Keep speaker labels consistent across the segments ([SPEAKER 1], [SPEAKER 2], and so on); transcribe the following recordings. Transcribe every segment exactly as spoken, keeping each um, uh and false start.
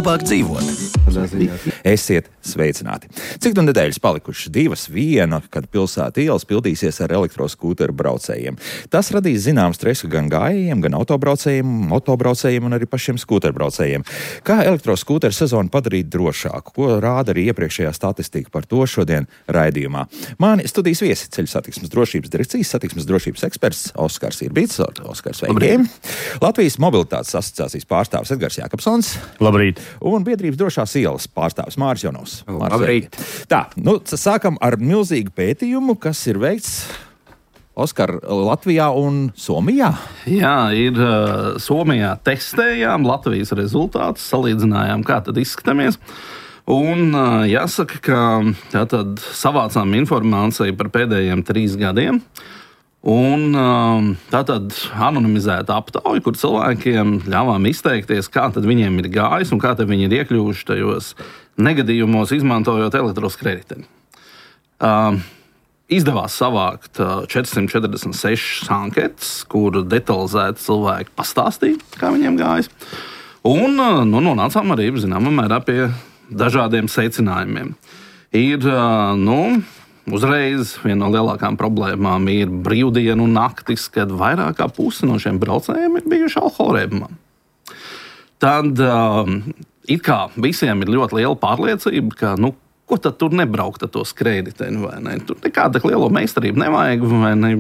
[SPEAKER 1] labāk dzīvot. Esiet sveicināti. Cik nu nedēļas palikušas? Divas, viena, kad pilsēta ielas pildīsies ar elektroskūteru braucējiem. Tas radīs zinām stresu gan gājējiem, gan autobraucējiem, motobraucējiem un arī pašiem skūterbraucējiem. Kā elektroskūteru sezonu padarīt drošāku? Ko rāda arī iepriekšējā statistika? Par to šodien raidījumā. Mani studijas viesi Ceļu satiksmes drošības direkcijas satiksmes drošības eksperts Oskars Irbīts. Oskars, sveiki! Latvijas mobilitātes asociācijas pārstāvis Edgars Jākapsons.
[SPEAKER 2] Labrīt!
[SPEAKER 1] Un biedrības drošās ielas pārstāvis Māris Jonovs.
[SPEAKER 2] Labrīt!
[SPEAKER 1] Tā, nu, sākam ar milzīgu pētījumu, kas ir veikts Oskar Latvijā un Somijā.
[SPEAKER 2] Jā, ir uh, Somijā testējām Latvijas rezultātus, salīdzinājām, kā tad izskatāmies. Un uh, jāsaka, ka tātad savācām informāciju par pēdējiem trīs gadiem. Un um, tātad anonimizēta aptauja, kur cilvēkiem ļāvām izteikties, kā tad viņiem ir gājis un kā tad viņi ir iekļuvuši tajos negadījumos, izmantojot elektroskrediteni. Um, izdevās savākt uh, četrsimt četrdesmit sešas anketas, kur detalizēti cilvēki pastāstīja, kā viņiem gājis. Un uh, nu, nonācām arī zināmā mērā pie dažādiem secinājumiem. Ir, uh, nu... Uzreiz viena no lielākām problēmām ir brīvdienu naktis, kad vairāk kā puse no šiem braucējiem ir bijuši alkohola reibumā. Tad um, it kā visiem ir ļoti liela pārliecība, ka nu, ko tad tur nebraukt ar to skrējēju, vai ne? Tur nekāda liela meistarība nevajag, vai ne?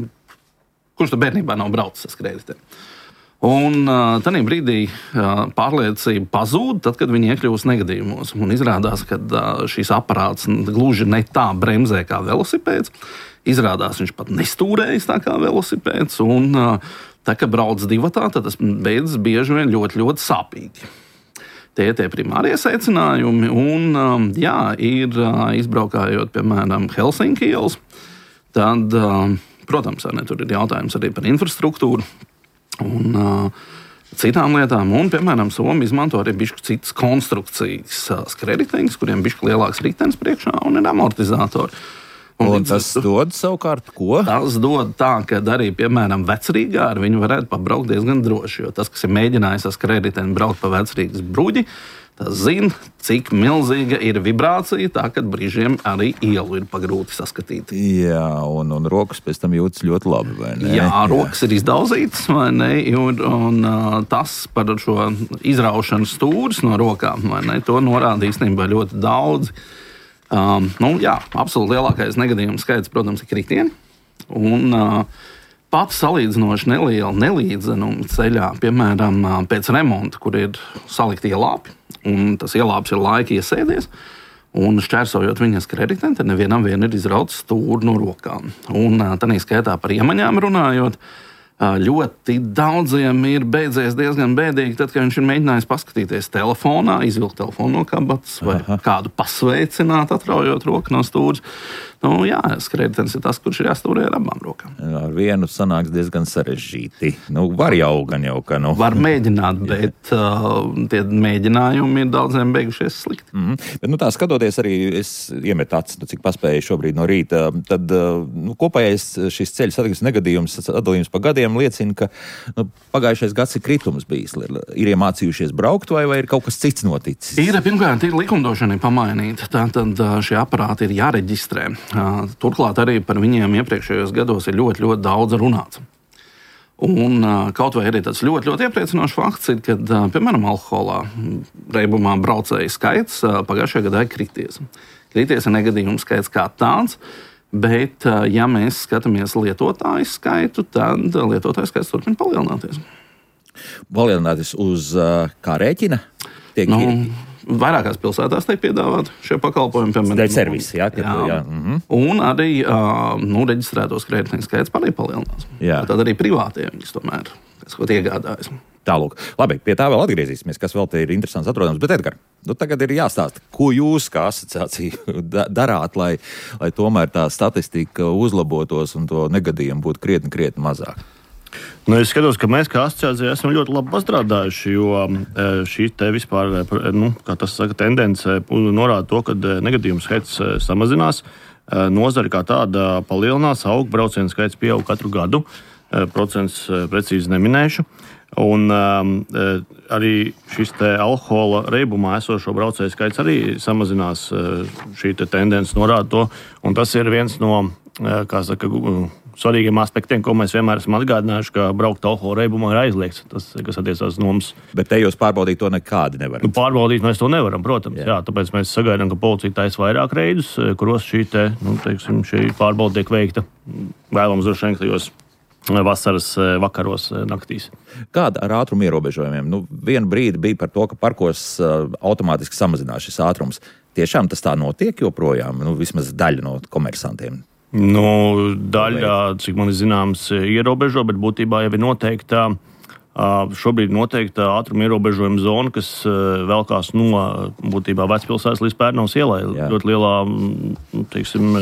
[SPEAKER 2] Kurš tad bērnībā nav braucis ar skrējēju? Un uh, tajā brīdī uh, pārliecība pazūd, tad, kad viņi iekļūst negadījumos. Un izrādās, ka uh, šis aparāts gluži ne tā bremzē kā velosipēds. Izrādās, viņš pat nestūrējas tā kā velosipēds. Un uh, tā, kad brauc divatā, tad tas beidzas bieži vien ļoti, ļoti sāpīgi. Tie ir tie primārie secinājumi. Un, um, jā, ir uh, izbraukājot, piemēram, Helsinki ielas, tad, uh, protams, ne, tur ir jautājums arī par infrastruktūru. Un uh, citām lietām, un, piemēram, Somija izmanto arī bišķi citas konstrukcijas uh, skrējējas, kuriem bišķi lielāks ritenis priekšā un ir amortizatori.
[SPEAKER 1] Un, un tas tu, dod savukārt ko?
[SPEAKER 2] Tas dod tā, ka arī, piemēram, Vecrīgā ar viņu varētu pabraukt diezgan droši, jo tas, kas ir mēģinājis ar skrējēju braukt pa Vecrīgas bruģi, tas zina, cik milzīga ir vibrācija, tā, kad brīžiem arī ielu ir pagrūti saskatīt.
[SPEAKER 1] Jā, un, un rokas pēc tam jūtas ļoti labi, vai ne?
[SPEAKER 2] Jā, rokas Jā. ir izdauzītas, vai ne? Un, un uh, tas par šo izraušanu stūris no rokām, vai ne? To norāda īstenībā ļoti daudz. Um, nu, jā, absolūti lielākais negadījums skaits, protams, ir kritieni. Un uh, pat salīdzinoši neliela nelīdzenuma ceļā, piemēram, pēc remonta, kur ir salikti ielāpi, un tas ielāps ir laika iesēdies, un šķērsojot viņas krediteni, tad nevienam vien ir izrauts stūri no rokām. Un tādā skaitā par iemaņām runājot, ļoti daudziem ir beidzies diezgan bēdīgi, tad, kad viņš ir mēģinājis paskatīties telefonā, izvilkt telefonu no kabatas vai Aha. kādu pasveicināt, atraujot roku no stūres. Nu, jā, skrējējs ir tas, kurš ir jāstūrē ar abām rokām.
[SPEAKER 1] Ar vienu sanāks diezgan sarežģīti. Nu, var jau gan jau, ka nu.
[SPEAKER 2] Var mēģināt, bet uh, tie mēģinājumi ir daudziem beigušies slikti.
[SPEAKER 1] Mm-hmm. Bet, nu, tā skatoties arī, es iemetu acis, nu, cik paspēju šobrīd no rīta, tad nu, kopējais šis ceļu satiksmes negadījums, atdalījums pa gadiem liecina, ka nu, pagājušais gads ir kritums bijis. Ir iemācījušies braukt vai, vai ir kaut kas cits noticis?
[SPEAKER 2] Ir, pirmkārt, ir likumdošana pamainīta. Tātad šie aparāti ir jāreģistrē. Turklāt arī par viņiem iepriekšējos gados ir ļoti, ļoti daudz runāts. Un kaut vai arī tāds ļoti, ļoti iepriecinošs fakts ir, ka, piemēram, alkoholā reibumā braucēju skaits pagājušajā gadā ir krities. Krities ir negadījumu skaits kā tāds, bet, ja mēs skatāmies lietotāju skaitu, tad lietotāju skaits turpina palielināties.
[SPEAKER 1] Palielināties uz kā rēķina? Tiek
[SPEAKER 2] nu,
[SPEAKER 1] ir...
[SPEAKER 2] Vairākās pilsētās tiek piedāvāti šie pakalpojumi.
[SPEAKER 1] Dēļ servisi, jā.
[SPEAKER 2] jā.
[SPEAKER 1] jā. Mm-hmm.
[SPEAKER 2] Un arī uh, nu, reģistrētos kreditnieku skaits arī palielinās. Tad arī privātie viņas tomēr, kas ko iegādājas.
[SPEAKER 1] Tālūk. Labi, pie tā vēl atgriezīsimies, kas vēl te ir interesants atrodams. Bet, Edgar, nu tagad ir jāstāsta, ko jūs kā asociācija darāt, lai, lai tomēr tā statistika uzlabotos un to negadījumu būtu krietni, krietni mazāk.
[SPEAKER 3] Nu, es skatos, ka mēs kā asociācija esam ļoti labi pastrādājuši, jo šī te vispār, nu, kā tas saka, tendence norāda to, ka negadījumu skaits samazinās, nozari kā tāda palielinās, aug, braucienu skaits pieaug katru gadu. procents precīzi neminēšu. Un um, arī šis te alkohola reibumā esošo braucēju skaits arī samazinās. Šī te tendence norāda to. Un tas ir viens no, kā saka, svarīgiem aspektiem, ko mēs vienmēr esam atgādinājuši, ka braukt alkohola reibumā ir aizliegts. Tas, kas attiecās no mums.
[SPEAKER 1] Bet te jūs pārbaudīt to nekādi nevaram.
[SPEAKER 3] Nu, pārbaudīt mēs to nevaram, protams. Jā. Jā, tāpēc mēs sagaidām, ka policija taisa vairāk reidus, kuros šī te, nu, teiksim, šī pārbauda tiek veikta vēlams droši vien tajos vasaras vakaros, naktīs.
[SPEAKER 1] Kāda ar ātrumu ierobežojumiem? Nu, vienu brīdi bija par to, ka parkos uh, automātiski samazinās šis ātrums. Tiešām tas tā notiek joprojām? Nu, vismaz daļa no komersantiem.
[SPEAKER 3] Nu, daļa, cik man ir zināms, ierobežo, bet būtībā jau ir noteikta, uh, šobrīd noteikta ātruma ierobežojuma zona, kas uh, velkās no būtībā Vecpilsētas līdz Pērnavas ielai. Jā. Ļoti lielā, teiksim,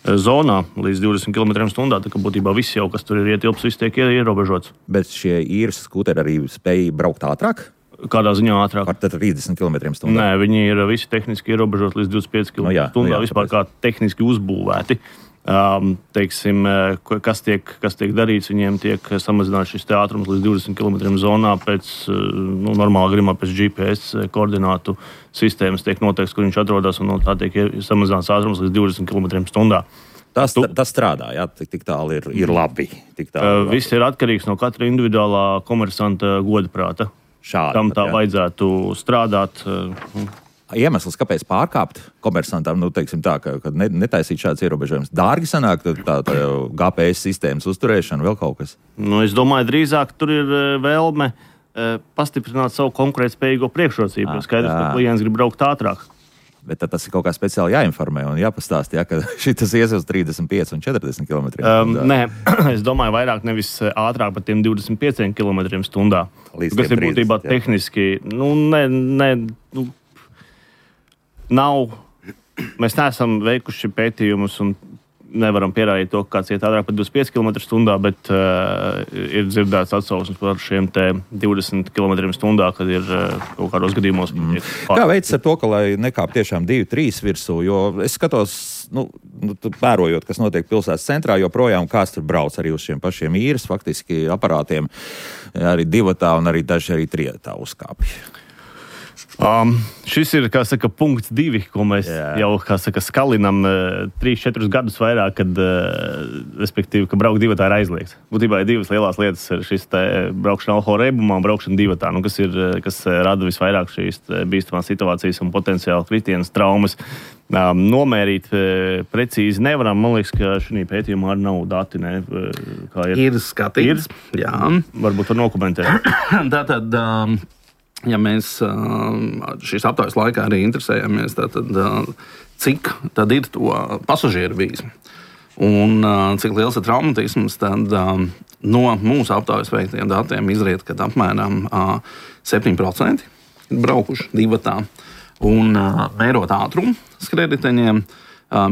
[SPEAKER 3] zonā līdz divdesmit kilometriem stundā, tā kā būtībā viss jau, kas tur ir ietilps, viss tiek ierobežots.
[SPEAKER 1] Bet šie īres skūteri arī spēj braukt ātrāk?
[SPEAKER 3] Kādā ziņā ātrāk?
[SPEAKER 1] Par trīsdesmit kilometriem stundā?
[SPEAKER 3] Nē, viņi ir visi tehniski ierobežot līdz divdesmit pieci kilometri stundā, no jā, vispār tāpēc. Kā tehniski uzbūvēti. Um, teiksim, kas tiek, kas tiek darīts, viņiem tiek samazināts šis ātrums līdz divdesmit kilometriem zonā pēc, nu, normālā gadījumā pēc G P S koordinātu sistēmas tiek noteikts, kur viņš atrodas, un no tā tiek samazināts ātrums līdz divdesmit kilometriem stundā.
[SPEAKER 1] Tas, tu, tas strādā, jā, tik, tik tālu ir, ir labi. Tik tālu
[SPEAKER 3] uh, viss ir atkarīgs no katra individuālā komersanta godprāta.
[SPEAKER 1] Šādi.
[SPEAKER 3] Tam tā
[SPEAKER 1] jā. Vajadzētu
[SPEAKER 3] strādāt. Uh,
[SPEAKER 1] Iemesls, kāpēc pārkāpt komersantam, nu, teiksim tā, ka, ka netaisīt šāds ierobežojums. Dārgi sanāk tā, tā G P S sistēmas uzturēšana, vēl kaut kas?
[SPEAKER 3] Nu, es domāju, drīzāk tur ir vēlme pastiprināt savu konkurētspējīgo priekšrocību. Ah, skaidrs, ka klients grib braukt ātrāk.
[SPEAKER 1] Bet tad tas ir kaut kā speciāli jāinformē un jāpastāst, ja, ka šitas ies uz trīsdesmit pieci un četrdesmit kilometriem stundā.
[SPEAKER 3] Um, nē, es domāju, vairāk nevis ātrāk par tiem divdesmit pieciem kilometriem stundā.
[SPEAKER 1] Līdz
[SPEAKER 3] kas ir būtībā jā. Tehniski, nu, ne, ne, nu, nav, mēs neesam veikuši pētījumus un nevaram pierādīt to, ka kāds iet ātrāk par divdesmit pieci kilometri stundā, bet uh, ir dzirdēts atsauksmes par šiem te divdesmit kilometriem stundā, kad ir uh, kaut kādos gadījumos.
[SPEAKER 1] Mm. Kā veids ar to, ka lai nekāp tiešām divi trīs virsū, jo es skatos, nu, nu pērojot, kas notiek pilsētas centrā, joprojām kāds tur brauc arī uz šiem pašiem īres, faktiski aparātiem, arī divatā un arī daži arī trietā uzkāpja.
[SPEAKER 3] Um, šis ir, kā saka, punkts divi, ko mēs Jā. jau, kā saka, skalinam uh, trīs, četrus gadus vairāk, kad, uh, respektīvi, ka braukt divatā ir aizliegts. Būtībā ir divas lielās lietas, ir šis te braukšana alkohola reibumā un braukšana divatā, nu, kas ir, kas rada visvairāk šīs bīstamās situācijas un potenciāli kritienas traumas. Um, nomērīt uh, precīzi nevaram, man liekas, ka šī pētījumā arī nav dati, ne, kā ir.
[SPEAKER 2] Ir skatīts, ir? Jā.
[SPEAKER 3] Varbūt var nokomentēt.
[SPEAKER 2] Tātad... Um... Ja mēs šīs aptaujas laikā arī interesējamies, tad, cik tad ir to pasažieru bijis un cik liels ir traumatisms, tad no mūsu aptaujas veiktajiem datiem izriet, ka apmēram septiņi procenti ir braukuši divatā. Un mērot ātrumu skrējriteņiem,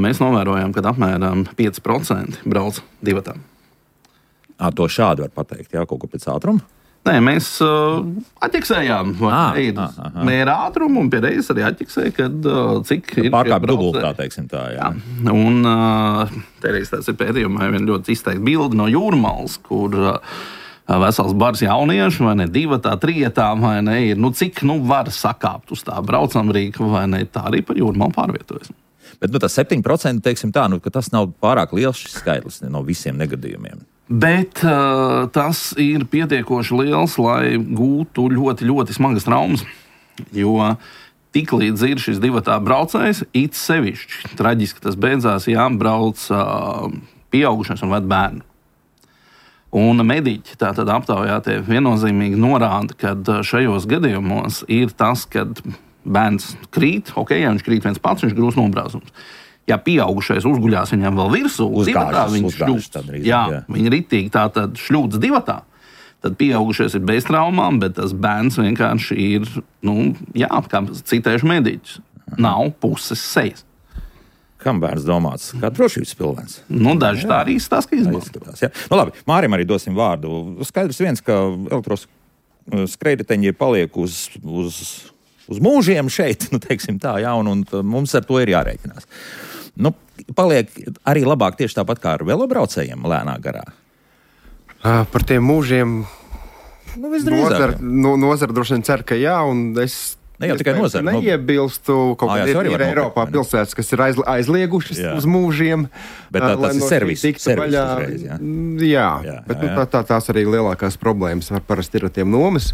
[SPEAKER 2] mēs novērojam, ka apmēram pieci procenti brauc divatā.
[SPEAKER 1] À, to šādi var pateikt, jā, kaut ko pēc ātruma?
[SPEAKER 2] Nē, mēs uh, atķeksējām mēra ātrumu un pie reizes arī atķeksēja, kad uh, cik ir
[SPEAKER 1] pārkāp dubultā, teiksim tā, jā.
[SPEAKER 2] jā. Un uh, te reiz tāds ir pētījumā vien ļoti izteikti bildi no Jūrmalas, kur uh, vesels bars jauniešu, vai ne, divatā, trietā, vai ne, ir, nu cik, nu var sakāpt uz tā braucamrīka, vai ne, tā arī par Jūrmalu pārvietojas.
[SPEAKER 1] Bet, nu, tas septiņi procenti, teiksim tā, nu, ka tas nav pārāk liels šis skaitlis no visiem negadījumiem.
[SPEAKER 2] Bet uh, tas ir pietiekoši liels, lai gūtu ļoti, ļoti smagas traumas. Jo tiklīdz ir šis divatā braucējs, it sevišķi traģiski tas beidzās, ja brauc uh, pieaugušais un ved bērnu. Un mediķi tātad aptaujā tie viennozīmīgi norāda, ka šajos gadījumos ir tas, kad bērns krīt, ok, ja viņš krīt viens pats, viņš grūs nobrāzums. Ja pieaugušais uzguļās viņam vēl virsū, divatā viņš šļūts. Jā, jā. Viņi ritīgi tā tad šļūts divatā. Tad pieaugušais ir bez traumām, bet tas bērns vienkārši ir, nu, jā, kā citēšu mediķus, nav puses sejas.
[SPEAKER 1] Kam bērns domāts? Kā drošības pilvens?
[SPEAKER 2] Nu, daži jā. Tā arī stāsta, ka izskatās.
[SPEAKER 1] Nu, labi, Mārim arī dosim vārdu. Skaidrs viens, ka elektros skrējriteņi paliek uz, uz, uz mūžiem šeit, nu, teiksim tā, jā, un, un mums ar to ir jārēķinās. Nu, paliek arī labāk tieši tāpat kā ar velobraucējiem lēnā garā.
[SPEAKER 4] Uh, par tiem mūžiem
[SPEAKER 1] nu, nozara,
[SPEAKER 4] no, nozara droši vien cer, ka jā, un es
[SPEAKER 1] ne jau tikai nozara.
[SPEAKER 4] Neiebilstu, kaut
[SPEAKER 1] ah,
[SPEAKER 4] kā ir, ir Eiropā
[SPEAKER 1] nopirkt,
[SPEAKER 4] pilsētas, kas ir aizli, aizliegušas jā. Uz mūžiem.
[SPEAKER 1] Bet tā, tas ir servis, servis uzreiz, jā.
[SPEAKER 4] Jā, jā, bet jā, jā. Nu, tā, tā, tās arī lielākās problēmas ar parasti ir ar tiem nomas.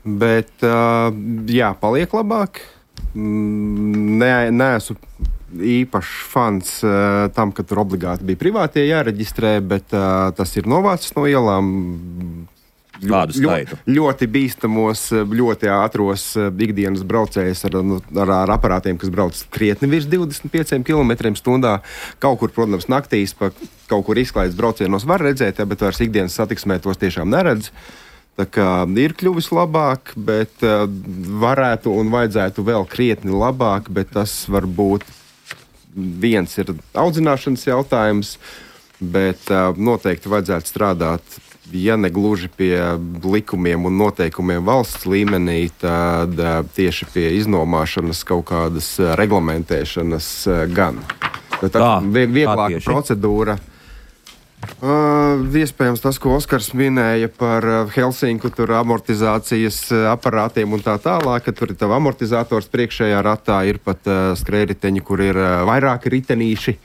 [SPEAKER 4] Bet, uh, jā, paliek labāk. Ne, neesmu īpašs fans uh, tam, ka tur obligāti bija privātie jāreģistrē, bet uh, tas ir novācis no ielām.
[SPEAKER 1] Kādu skaitu?
[SPEAKER 4] Ļoti, ļoti bīstamos, ļoti ātros ikdienas braucējus ar, ar, ar aparātiem, kas brauc krietni virs divdesmit pieciem kilometriem stundā. Kaut kur, protams, naktīs pa kaut kur izklaides braucienos var redzēt, bet vairs ikdienas satiksmē tos tiešām neredz. Tā kā ir kļuvis labāk, bet uh, varētu un vajadzētu vēl krietni labāk, bet tas varbūt viens ir audzināšanas jautājums, bet uh, noteikti vajadzētu strādāt, ja ne gluži pie likumiem un noteikumiem valsts līmenī, tad uh, tieši pie iznomāšanas kaut kādas uh, reglamentēšanas uh, gan. Tā ir vieglāka procedūra. Uh, iespējams tas, ko Oskars minēja par uh, Helsinku tur amortizācijas uh, aparātiem un tā tālāk, ka tur ir tava amortizators priekšējā ratā, ir pat uh, skrējriteņi, kur ir uh, vairāki ritenīši,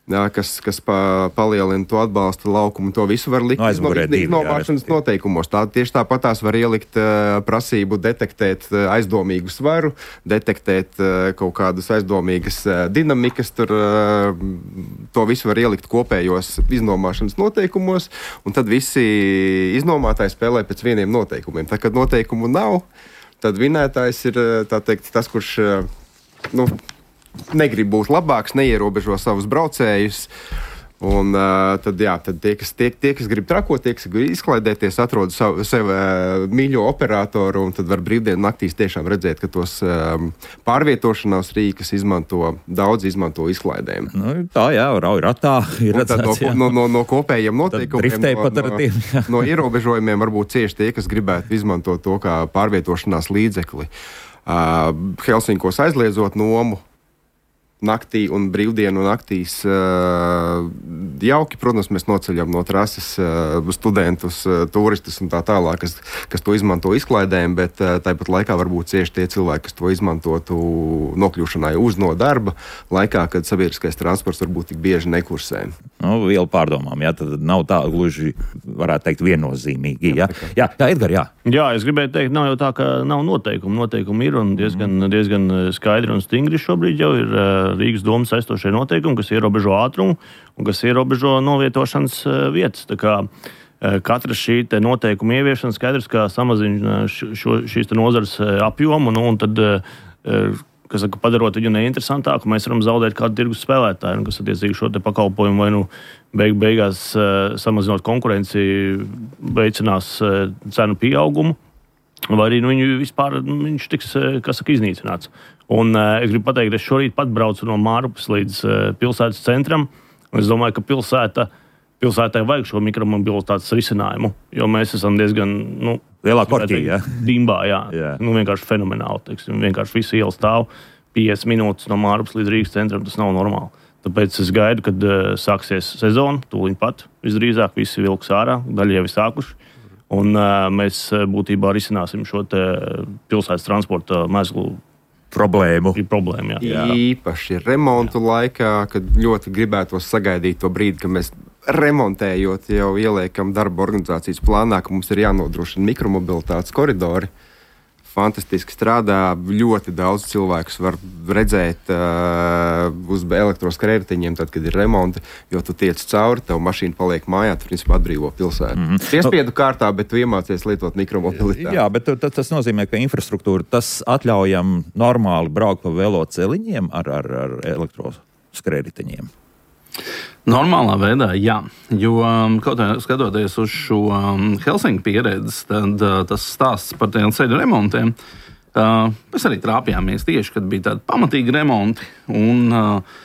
[SPEAKER 4] jā, kas, kas pa, palielina to atbalsta laukumu. To visu var likt
[SPEAKER 1] no,
[SPEAKER 4] iznomāšanas noteikumos. Tā, tieši tāpat tās var ielikt uh, prasību detektēt uh, aizdomīgu svaru, detektēt uh, kaut kādas aizdomīgas uh, dinamikas. Tur, uh, to visu var ielikt kopējos iznomāšanas noteikumos, un tad visi iznomātāji spēlē pēc vieniem noteikumiem. Tā, kad noteikumu nav, tad vinētājs ir tā teikt, tas, kurš uh, nu, negrib būt labāks, neierobežo savus braucējus. Un uh, tad, jā, tad tie, kas, tie, tie, kas grib trakot, tie, kas grib izklaidēties, atrod savu, sev uh, mīļo operatoru, un tad var brīvdienu naktīs tiešām redzēt, ka tos um, pārvietošanās rīkas izmanto, daudz izmanto izklaidēm.
[SPEAKER 1] Nu, tā jā, rauj ratā ir redzēts,
[SPEAKER 4] no, no, no, no kopējiem noteikumiem, no, no, no ierobežojumiem varbūt cieši tie, kas gribētu izmantot to kā pārvietošanās līdzekli. Uh, Helsinkos aizliedzot nomu naktī un brīvdienu naktīs uh, jauki. Protams, mēs noceļam no trases uh, studentus, uh, turistus un tā tālāk, kas, kas to izmanto izklaidēm, bet uh, tāpat laikā varbūt cieši tie cilvēki, kas to izmantotu nokļūšanai uz no darba laikā, kad sabiedriskais transports varbūt tik bieži nekursē.
[SPEAKER 1] Nu, vielu pārdomām, jā, tad nav tā gluži, varētu teikt, viennozīmīgi. Jā, jā, jā Edgar, jā.
[SPEAKER 3] Jā, es gribēju teikt, nav jau tā, ka nav noteikumu. Noteikumi ir un diezgan, mm. diezgan skaidri un stingri šobrīd jau ir uh, Rīgas domas aizstošie noteikumi, kas ierobežo ātrumu un kas ierobežo novietošanas uh, vietas. Tā kā uh, katra šī noteikuma ieviešana skaidrs, kā samazina šo, šīs nozares uh, apjomu, nu, un tad, uh, kas saka, padarot viņu neinteresantāku, mēs varam zaudēt kādu tirgus spēlētāju, kas attiecīgi šo te pakalpojumu vai nu beig, beigās uh, samazinot konkurenci, veicinās uh, cenu pieaugumu, vai arī nu, viņu vispār nu, viņš tiks, kas saka, iznīcināts. Un uh, es gribu pateikt, es šorīt pat braucu no Mārupas līdz uh, pilsētas centram, un es domāju, ka pilsēta, pilsētai vajag šo mikromobilitātes risinājumu, jo mēs esam diezgan, nu,
[SPEAKER 1] lielā korķī, jā.
[SPEAKER 3] Dimbā, jā.
[SPEAKER 1] jā.
[SPEAKER 3] Nu, vienkārši fenomenāli, teiksim, vienkārši visu ielu stāv piecas minūtes no Mārupas līdz Rīgas centram, tas nav normāli. Tāpēc es gaidu, kad uh, sāksies sezona, tūliņ pat, visdrīzāk visi vilks ārā, daļa jau ir sākuši. Un uh, mēs būtībā risināsim šo te pilsētas transporta mezglu
[SPEAKER 1] problēmu.
[SPEAKER 3] problēmu jā.
[SPEAKER 4] Jā. Īpaši remontu laikā, kad ļoti gribētos sagaidīt to brīdi, ka mēs remontējot jau ieliekam darba organizācijas plānā, ka mums ir jānodrošina mikromobilitātes koridori. Fantastiski strādā, ļoti daudz cilvēkus var redzēt uh, uz elektroskrējriteņiem, tad, kad ir remonti, jo tu tiec cauri, tev mašīna paliek mājā, tu principā atbrīvo pilsētu. Mm-hmm. Piespiedu kārtā, bet tu iemācies lietot mikromobilitāti.
[SPEAKER 1] Jā, bet t- tas nozīmē, ka infrastruktūra, tas atļaujam normāli braukt pa veloceliņiem ar, ar, ar elektroskrējriteņiem.
[SPEAKER 2] Normālā veidā, jā, jo kaut kā skatoties uz šo um, Helsinku pieredzi, tad uh, tas stāsts par tiem ceļu remontiem, uh, mēs arī trāpījāmies tieši, kad bija tādi pamatīgi remonti, un uh,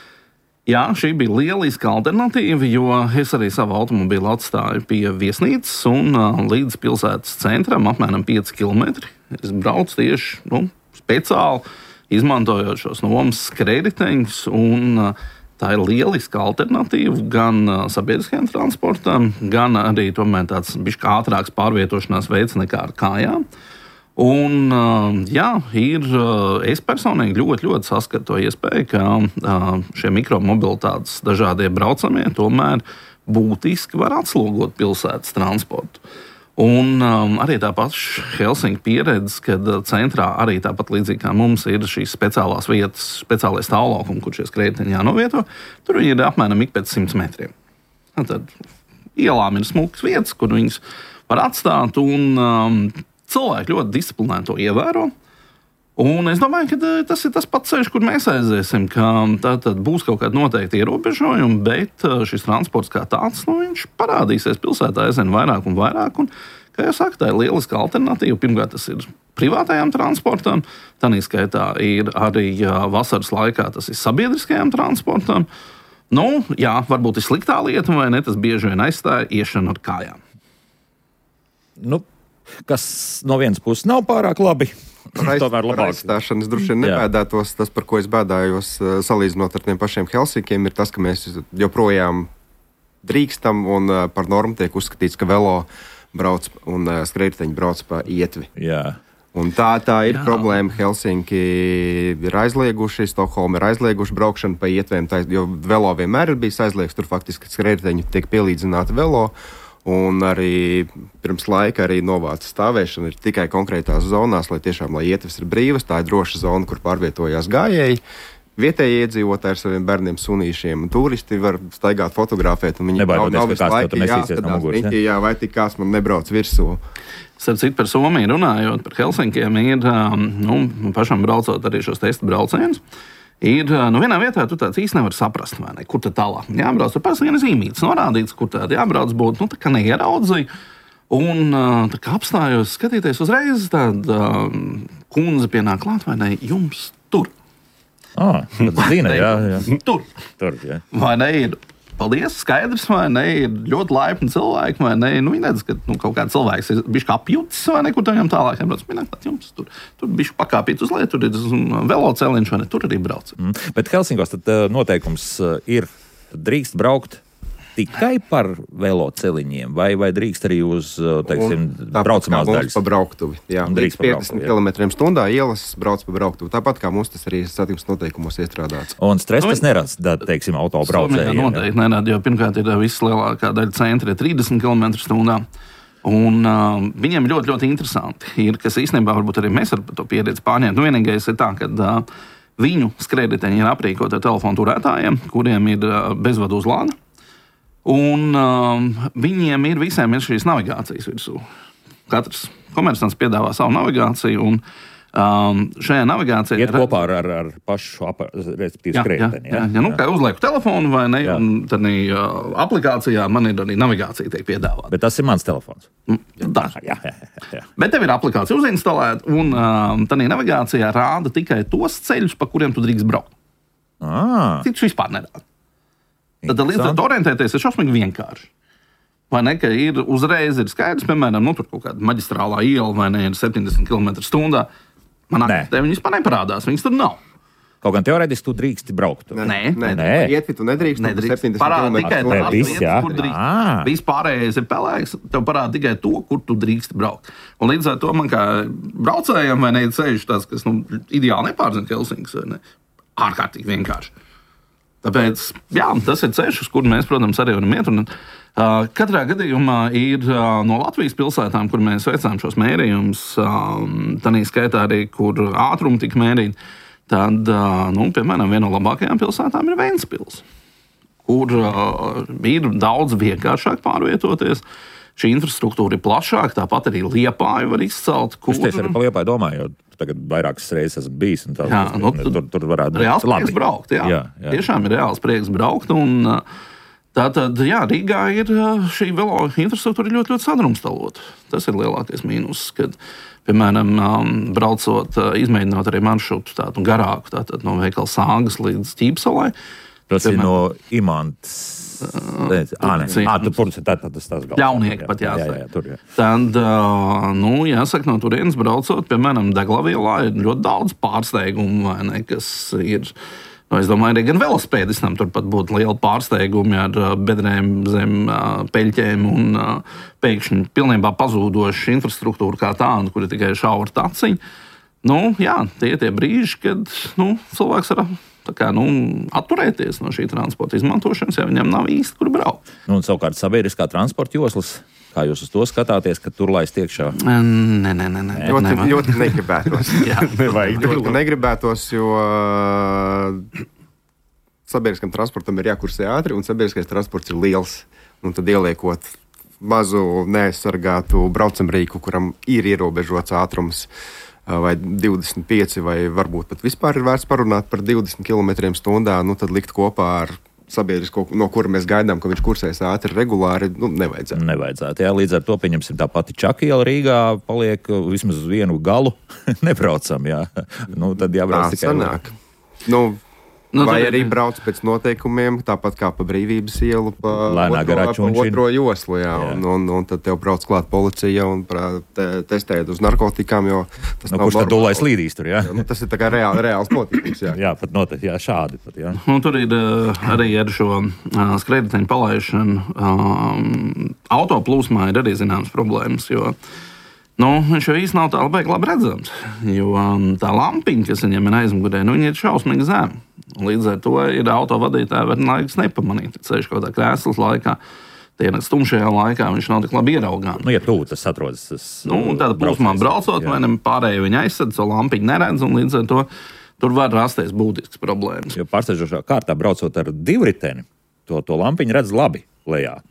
[SPEAKER 2] jā, šī bija lieliska alternatīva, jo es arī savu automobīlu atstāju pie viesnīcas un uh, līdz pilsētas centram apmēram pieci kilometri. Es braucu tieši, nu, speciāli izmantojot šos nomas skrējriteņus un uh, tā ir lieliska alternatīva gan uh, sabiedriskajam transportam, gan arī tomēr tāds bišķi ātrāks pārvietošanās veids nekā ar kājām. Un, uh, jā, ir, uh, es personīgi ļoti, ļoti saskatu to iespēju, ka uh, šie mikromobilitātes dažādie braucamie tomēr būtiski var atslogot pilsētas transportu. Un um, arī tā paša Helsinku pieredze, kad centrā arī tāpat līdzīgi kā mums ir šīs speciālās vietas, speciālais stāvlaukumi, kur šie skrējēji jānovieto, tur viņi ir apmēram ik pēc simts metriem. Tad ielām ir smukas vietas, kur viņas var atstāt, un um, cilvēki ļoti disciplinēti to ievēro. Un es domāju, ka tas ir tas pats ceļš, kur mēs aiziesim, ka tā tad būs kaut kāda noteikta ierobežojuma, bet šis transports kā tāds, nu, viņš parādīsies pilsētā aizvien vairāk un vairāk. Un, kā jau saka, tā ir lieliska alternatīva. Pirmkārt, tas ir privātajām transportam, tādā skaitā ir arī vasaras laikā tas ir sabiedriskajām transportam. Nu, jā, varbūt ir sliktā lieta, vai ne, tas bieži vien aizstāja iešanu ar kājām.
[SPEAKER 1] Nu, kas no vienas puses nav pārāk labi.
[SPEAKER 4] Tomēr labāk. Aizstāšanas droši vien nebēdētos. Tas, par ko es bēdājos, salīdzinot ar tiem pašiem Helsinkiem, ir tas, ka mēs joprojām drīkstam un par normu tiek uzskatīts, ka velo brauc un skrējēji brauc pa ietvi.
[SPEAKER 1] Jā.
[SPEAKER 4] Un tā, tā ir
[SPEAKER 2] Jā.
[SPEAKER 4] problēma. Helsinki ir aizlieguši, Stokholma ir aizlieguši braukšanu pa ietvēm, tā, jo velo vienmēr ir bijis aizliegts. Tur faktiski skrējēji tiek pielīdzināti velo. Un arī pirms laika arī novāca stāvēšana ir tikai konkrētās zonās, lai tiešām lai ietves ir brīvas. Tā ir droša zona, kur pārvietojās gājēji. Vietējie iedzīvotāji ar saviem bērniem, sunīšiem, un turisti var staigāt, fotografēt. Viņi nav, nav visu laiku jāskatās, riņķī, jā, vai tik kāds man nebrauc virsū.
[SPEAKER 2] Starp citu, par Somiju runājot, par Helsinkiem, ir nu, pašam braucot arī šos testa braucienus. Ir, nu, vienā vietā tu tāds īsti nevar saprast, vai ne, kur tad tālāk jābrauc. Tur parasti viena zīmītes norādīts, kur tad jābrauc būtu, nu, tā kā neieraudzīju. Un tā kā apstājos skatīties uzreiz, tāda um, kundze pienāk klāt, vai ne, jums tur.
[SPEAKER 1] Ah, tad zina, jā, jā.
[SPEAKER 2] Tur.
[SPEAKER 1] Tur, jā.
[SPEAKER 2] Vai ne, ir paldies, skaidrs, vai ne, ir ļoti laipni cilvēki, vai ne, nu, viņi redz, ka nu, kaut kāds cilvēks ir bišķi apjūtis, vai ne, kur tam tālāk jābrauc. Mināk, tā jums tur, tur bišķi pakāpīt uz leju, tur ir veloceliņš, vai ne, tur arī brauc.
[SPEAKER 1] Mm. Bet Helsinkos tad uh, noteikums uh, ir drīkst braukt tikai par veloceliņiem, vai, vai drīkst arī uz, teiksim, braucamās daļas?
[SPEAKER 4] Pa brauktuvi, jā. Līdz piecdesmit kilometriem stundā ielas brauc pa brauktuvi. Tāpat kā mums tas arī satiksmes noteikumos iestrādāts.
[SPEAKER 1] Un stress tas nerāds, teiksim, autobraucējiem?
[SPEAKER 2] Noteikti nerāds, jo pirmkārt ir vislielākā daļa centra ir trīsdesmit kilometru stundā. Un uh, viņiem ļoti, ļoti interesanti ir, kas īstenībā varbūt arī mēs ar to pieredzi pārņemt. Nu, vienīgais ir tā, ka uh, viņu skrējēji ir aprīkoti ar telefonu turētājiem, kuriem ir uh, bezvadu uzlāde. Un um, viņiem ir visiem ir šīs navigācijas virsū. Katrs komersants piedāvā savu navigāciju, un um, šajā navigācijā
[SPEAKER 1] iet kopā ar, ar, ar pašu respektīvi skrējēju.
[SPEAKER 2] Jā, jā, jā, nu, kā uzlieku telefonu vai ne, jā. Un tad uh, aplikācijā man ir arī navigācija tiek piedāvāta.
[SPEAKER 1] Bet tas ir mans telefons.
[SPEAKER 2] Tā.
[SPEAKER 1] Jā, jā, jā.
[SPEAKER 2] Bet tev ir aplikācija uzinstalēta, un um, tādā navigācijā rāda tikai tos ceļus, pa kuriem tu drīkst braukt.
[SPEAKER 1] Ah.
[SPEAKER 2] Citus vispār nerāda. Tad līdz ar to orientēties ir šausmīgi vienkārši. Vai ne, ka ir uzreiz ir skaidrs, piemēram, nu, tur kaut kāda maģistrālā iela vai ne, ir septiņdesmit kilometru stundā. Man aktīvi viņi vispār neparādās, viņas tur nav.
[SPEAKER 1] Kaut gan teorētiski tu drīksti braukt.
[SPEAKER 2] Nē,
[SPEAKER 4] nē, nē. Ietvi tu nedrīkst,
[SPEAKER 2] nedrīkst. Parāda tikai tās
[SPEAKER 1] viss,
[SPEAKER 2] vietas, kur drīkst. Viss pārējais ir pelēks, tev parāda tikai to, kur tu drīkst braukt. Un līdz ar to man kā braucējiem vai ne, ir ceļš tāds, kas nu, ideāli nepārzina Helsinkas, vai ne, ārkārtīgi vienkārši. Tāpēc, jā, tas ir ceļš, uz kuru mēs, protams, arī varam iet. Un, uh, katrā gadījumā ir uh, no Latvijas pilsētām, kur mēs veicām šos mērījumus, um, tādā skaitā arī, kur ātrumi tika mērīti, tad, uh, nu, piemēram, viena no labākajām pilsētām ir Ventspils, kur uh, ir daudz vienkāršāk pārvietoties. Šī infrastruktūra ir plašāka, tāpat arī Liepāju var izcelt.
[SPEAKER 1] Kur... Es tieši arī par Liepāju domāju, jo tagad vairākas reizes esmu bijis. Tā,
[SPEAKER 2] jā, nu,
[SPEAKER 1] tur, tur varētu būt
[SPEAKER 2] reāls prieks braukt. Jā.
[SPEAKER 1] Jā, jā.
[SPEAKER 2] Tiešām ir reāls prieks braukt. Un, tātad, jā, Rīgā ir šī velo infrastruktūra ļoti, ļoti sadrumstalota. Tas ir lielākais mīnus, kad, piemēram, braucot, izmēģinot arī maršrutu tādu garāku, tātad no veikala Sāgas līdz Ķīpsalai.
[SPEAKER 1] Tas piemēram, ir no Imantas. Ah, tur tas tas galvā.
[SPEAKER 2] Ļaunieki pat jāsaka.
[SPEAKER 1] Jā, jā, tur, jā.
[SPEAKER 2] Tad, nu, jāsaka, no turienes braucot, piemēram, Deglavielā ir ļoti daudz pārsteigumu, vai ne, kas ir Nu, es domāju, arī gan velospēdistam turpat būtu liela pārsteigumi ar bedrēm zem peļķēm un pēkšņi pilnībā pazūdoša infrastruktūra kā tāda, kur ir tikai šaura taciņa. Nu, jā, tie ir tie brīži, kad nu, cilvēks var tā kā, nu, atturēties no šī transporta izmantošanas, ja viņam nav īsti, kur braukt.
[SPEAKER 1] Nu, un savukārt sabiedriskā transporta joslas, kā jūs uz to skatāties, ka tur laist iekšā?
[SPEAKER 2] Nē, nē, nē. nē
[SPEAKER 4] ļoti, ļoti negribētos.
[SPEAKER 2] Jā,
[SPEAKER 3] nevajag.
[SPEAKER 4] Ļoti negribētos, jo sabiedriskam transportam ir jākursē ātri, un sabiedriskais transports ir liels. Un tad ieliekot mazu neaizsargātu braucamrīku, kuram ir ierobežots ātrums, vai divdesmit pieci, vai varbūt pat vispār ir vērts parunāt par divdesmit kilometriem stundā, nu tad likt kopā ar sabiedrisko, no kura mēs gaidām, ka viņš kursēs ātri regulāri, nu, nevajadzētu.
[SPEAKER 1] Nevajadzētu, jā, līdz ar to, pieņemsim, tā pati Čakiela Rīgā paliek vismaz uz vienu galu nebraucam, jā. Nu, tad jābrauc
[SPEAKER 4] tā
[SPEAKER 1] tikai...
[SPEAKER 4] sanāk. Nu,
[SPEAKER 2] Nu,
[SPEAKER 4] vai
[SPEAKER 2] tad...
[SPEAKER 4] arī brauc pēc noteikumiem, tāpat kā pa Brīvības ielu, pa,
[SPEAKER 1] Lēnā garā
[SPEAKER 4] otro, pa otro joslu, jā, jā. Un, un, un tad tev brauc klāt policija un te, testēt uz narkotikām, jo tas
[SPEAKER 1] nu,
[SPEAKER 4] nav
[SPEAKER 1] kurš tad dulais līdīs tur, jā?
[SPEAKER 4] Jā, nu, tas ir tā kā reāli, reāls notikums, jā.
[SPEAKER 1] Jā, pat noteikti, jā, šādi pat, jā.
[SPEAKER 2] Un tur ir uh, arī ar šo uh, skrējēju palaišanu um, autoplūsmā ir arī zināmas problēmas, jo nu, viņš jau īsti nav tā labi, labi redzams. Jo um, tā lampiņa, kas viņam ir aizmugurē, nu, viņa ir šausmīgi zema. Līdz ar to ir autovadītāji var laiks nepamanīt. Ceļš kaut kā krēslas laikā, tie stumšajā laikā viņš nav tik labi ieraugāms.
[SPEAKER 1] Nu, ja tuvu tas atrodas, tas...
[SPEAKER 2] Nu, tāda plūsmā braucot, vai ne pārējie viņa aizsadz, so lampiņu neredz, un līdz ar to tur var rasties būtisks problēmas.
[SPEAKER 1] Jo pārsteidzošā kārtā braucot ar divriteni, to, to lampiņu redz labi lejā.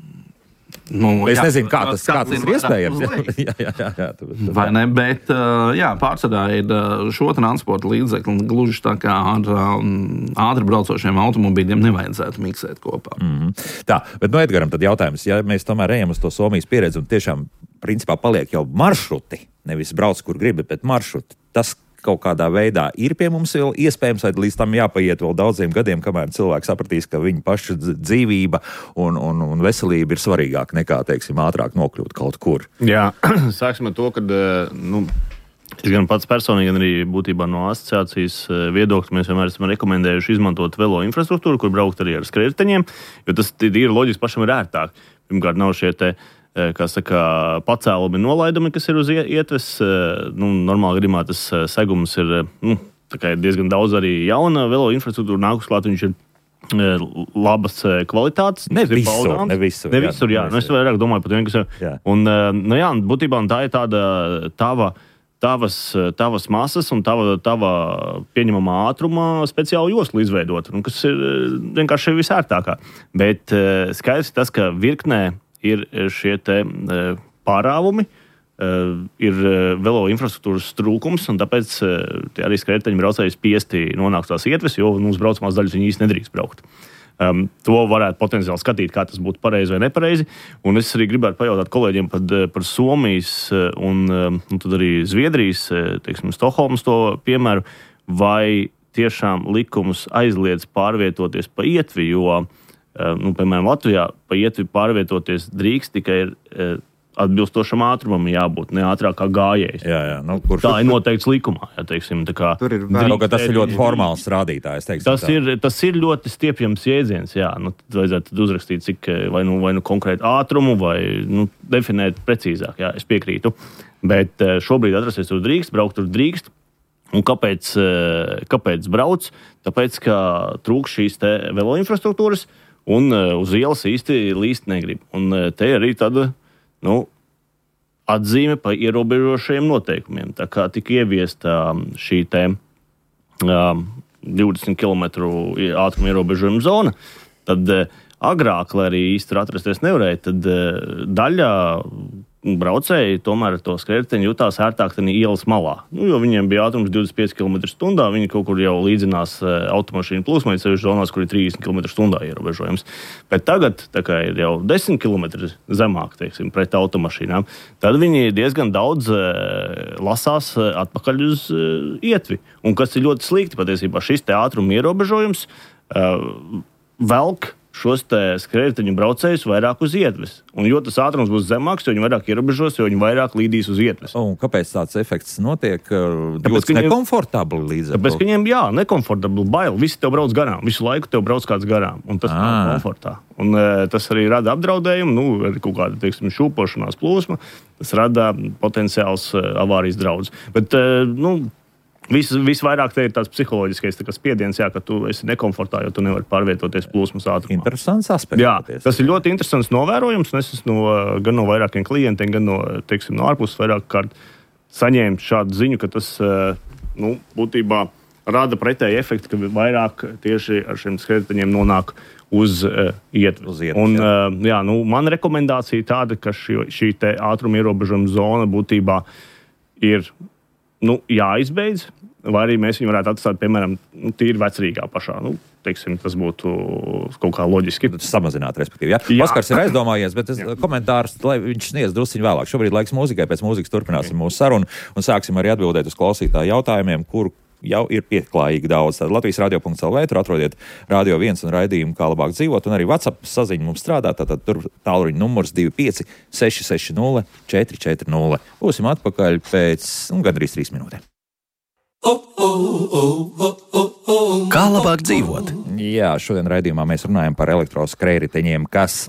[SPEAKER 2] Nu,
[SPEAKER 1] es
[SPEAKER 2] jā,
[SPEAKER 1] nezinu, kā tas, kā tas ir iespējams.
[SPEAKER 2] Jā,
[SPEAKER 1] jā, jā, jā, tā,
[SPEAKER 2] vai ne, bet jā, pārsvarā ir šo transporta līdzekli gluži tā kā ar um, ātri braucošiem automobīļiem nevajadzētu miksēt kopā.
[SPEAKER 1] Mm-hmm. Tā, bet no Edgaram tad jautājums, ja mēs tomēr ejam uz to Somijas pieredzi un tiešām principā paliek jau maršruti, nevis brauc, kur gribi, bet maršruti, tas kaut kādā veidā ir pie mums vēl iespējams, vai līdz tam jāpaiet vēl daudziem gadiem, kamēr cilvēki sapratīs, ka viņa paša dzīvība un, un, un veselība ir svarīgāka nekā, teiksim, ātrāk nokļūt kaut kur.
[SPEAKER 3] Jā, sāksim ar to, ka, nu, es gan pats personīgi, gan arī būtībā no asociācijas viedokļa mēs vienmēr esam rekomendējuši izmantot velo infrastruktūru, kur braukt arī ar skrējēju, jo tas ir loģiski, pašam ir ērtāk. Pirmkārt, nav šie te kā saka, pacēlumi nolaidumi, kas ir uz ietves. Nu, normāli gadījumā tas segums ir, nu, ir diezgan daudz arī jauna velo infrastruktūra nākus klāt, viņš ir labas kvalitātes.
[SPEAKER 1] Ne visur, ne visur.
[SPEAKER 3] Ne visur, jā. jā. Nu, es vairāk domāju par to, kas ir. Jā. Un, nu jā, būtībā tā ir tāda tava, tavas, tavas masas un tava, tava pieņemamā ātruma speciāla josla izveidot, un kas ir vienkārši visērtākā. Bet skaidrs tas, ka virknē ir šie te pārāvumi, ir velo infrastruktūras trūkums, un tāpēc arī skrējēju braucēji spiesti nonākt tās ietves, jo mums braucamās daļas viņi īsti nedrīkst braukt. Um, to varētu potenciāli skatīt, kā tas būtu pareizi vai nepareizi. Un es arī gribētu pajautāt kolēģiem par, par Somijas un, un tad arī Zviedrijas, teiksim, Stokholmas to piemēru, vai tiešām likums aizliedz pārvietoties pa ietvi, jo Nu, piemēram, Latvijā pa ietvi pārvietoties drīkst tikai ir atbilstošam ātrumam jābūt, ne ātrāk kā gājējs.
[SPEAKER 1] Jā, jā, nu, kurš...
[SPEAKER 3] Tā ir noteikts likumā. Jā, teiksim, tā kā
[SPEAKER 4] Tur ir
[SPEAKER 1] vēl, ka tas ir ļoti formāls rādītājs. Teiksim,
[SPEAKER 3] tas, ir, tas ir ļoti stiepjams jēdziens. Jā, nu, tad vajadzētu uzrakstīt, cik vai nu, vai nu konkrētu ātrumu, vai nu, definēt precīzāk. Jā, es piekrītu. Bet šobrīd atrasties tur drīkst, braukt tur drīkst. Un kāpēc, kāpēc brauc? Tāpēc, ka trūkst šīs te velo infrastruktūras, un uh, uz ielas īsti līst negrib. Un uh, te arī tāda, nu, atzīme par ierobežošajiem noteikumiem. Tā kā tika ieviesta um, šī te um, divdesmit kilometru ātruma ierobežojuma zona, tad uh, agrāk, lai arī īsti atrasties nevarēja, tad uh, daļa braucēji tomēr to skrējēju jutās ērtāk tenī ielas malā. Nu, jo viņiem bija ātrums divdesmit pieci kilometri stundā, viņi kaut kur jau līdzinās automašīnu plūsmai, sevišķi zonās, kur ir trīsdesmit kilometri stundā ierobežojums. Bet tagad, tā kā ir jau desmit kilometri zemāk, teiksim, pret automašīnām, tad viņi diezgan daudz lasās atpakaļ uz ietvi. Un kas ir ļoti slikti patiesībā, šis te ātruma ierobežojums velk šos skrējēju braucējus vairāk uz ietves. Un jo tas ātrums būs zemāks, jo viņi vairāk ierobežos, jo viņi vairāk līdīs uz ietves.
[SPEAKER 1] Un kāpēc tāds efekts notiek? Jūtas viņiem... nekomfortabli līdz ar to?
[SPEAKER 3] Tāpēc, ka viņiem, jā, nekomfortabli, bail. Visi tev brauc garām. Visu laiku tev brauc kāds garām. Un tas nav komfortā. Un e, tas arī rada apdraudējumu, nu, arī kaut kāda, teiksim, šūpošanās plūsma. Tas rada potenciāls e, avārijas draudz. Bet, e, nu, Vis, visvairāk te ir tāds psiholoģiskais tā spiediens, jā, ka tu esi nekomfortā, jo tu nevari pārvietoties plūsmas ātrumā.
[SPEAKER 1] Interesants aspekts.
[SPEAKER 3] Jā, tas ir ļoti interesants novērojums. Es esmu no, gan no vairākiem klientiem, gan no, teiksim, no ārpuses vairāk kārt saņēmu šādu ziņu, ka tas nu, būtībā rada pretēju efektu, ka vairāk tieši ar šiem skrējēju nonāk uz uh, ietves.
[SPEAKER 1] Uz ietves
[SPEAKER 3] Un,
[SPEAKER 1] jā.
[SPEAKER 3] uh, jā, nu, man rekomendācija tāda, ka šī, šī te ātruma ierobežojuma zona būtībā ir nu, jāizbeidz, vai arī mēs viņu varētu atstāt, piemēram, nu, tīri vecrīgā pašā. Nu, teiksim, tas būtu kaut kā loģiski.
[SPEAKER 1] Samazināt, respektīvi. Ja? Oskars ir aizdomājies, bet es, komentārs, lai viņš sniedz drusciņu vēlāk. Šobrīd laiks mūzikai, pēc mūzikas turpināsim mūsu sarunu un sāksim arī atbildēt uz klausītāju jautājumiem, kur jau ir pieklājīgi daudz. Tad Latvijas radio punkts el vē, tur atrodiet Radio viens un raidījumu, kā labāk dzīvot, un arī WhatsApp saziņa mums strādā, tātad tur tālruņa numurs divi pieci seši seši nulle četri četri nulle. Būsim atpakaļ pēc nu, gandrīz trīs minūtēm.
[SPEAKER 5] Kā labāk dzīvot?
[SPEAKER 1] Jā, šodien raidījumā mēs runājam par elektroskrējriteņiem, kas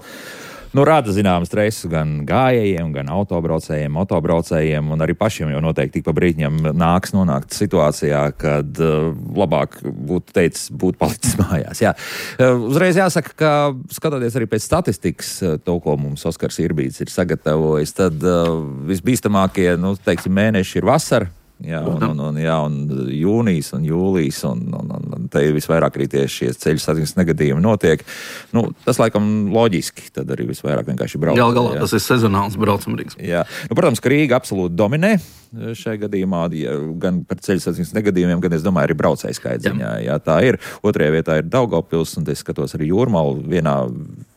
[SPEAKER 1] nu, rada zināmu stresu gan gājējiem, gan autobraucējiem, motobraucējiem, un arī pašiem jau noteikti tik pa brīdņam nāks nonākt situācijā, kad uh, labāk būtu teicis, būt palicis mājās. Jā. Uh, uzreiz jāsaka, ka skatoties arī pēc statistikas, uh, to, ko mums Oskars Irbīts ir sagatavojis, tad uh, visbīstamākie, nu, teiksim, mēneši ir vasara. Jā, un, un, un, jā, un jūnijas un jūlijas, un, un, un, un te visvairāk arī tieši šie ceļu satiksmes negadījumi notiek. Nu, tas laikam loģiski, tad arī visvairāk vienkārši brauc.
[SPEAKER 2] Gal galā tas ir sezonāls braucamrīgs.
[SPEAKER 1] Jā, nu, protams, ka Rīga absolūti dominē šajā gadījumā, ja, gan par ceļu satiksmes negadījumiem, gan, es domāju, arī braucēju skaita ziņā. Jā, tā ir. Otrajā vietā ir Daugavpils, un es skatos arī Jūrmalu vienā,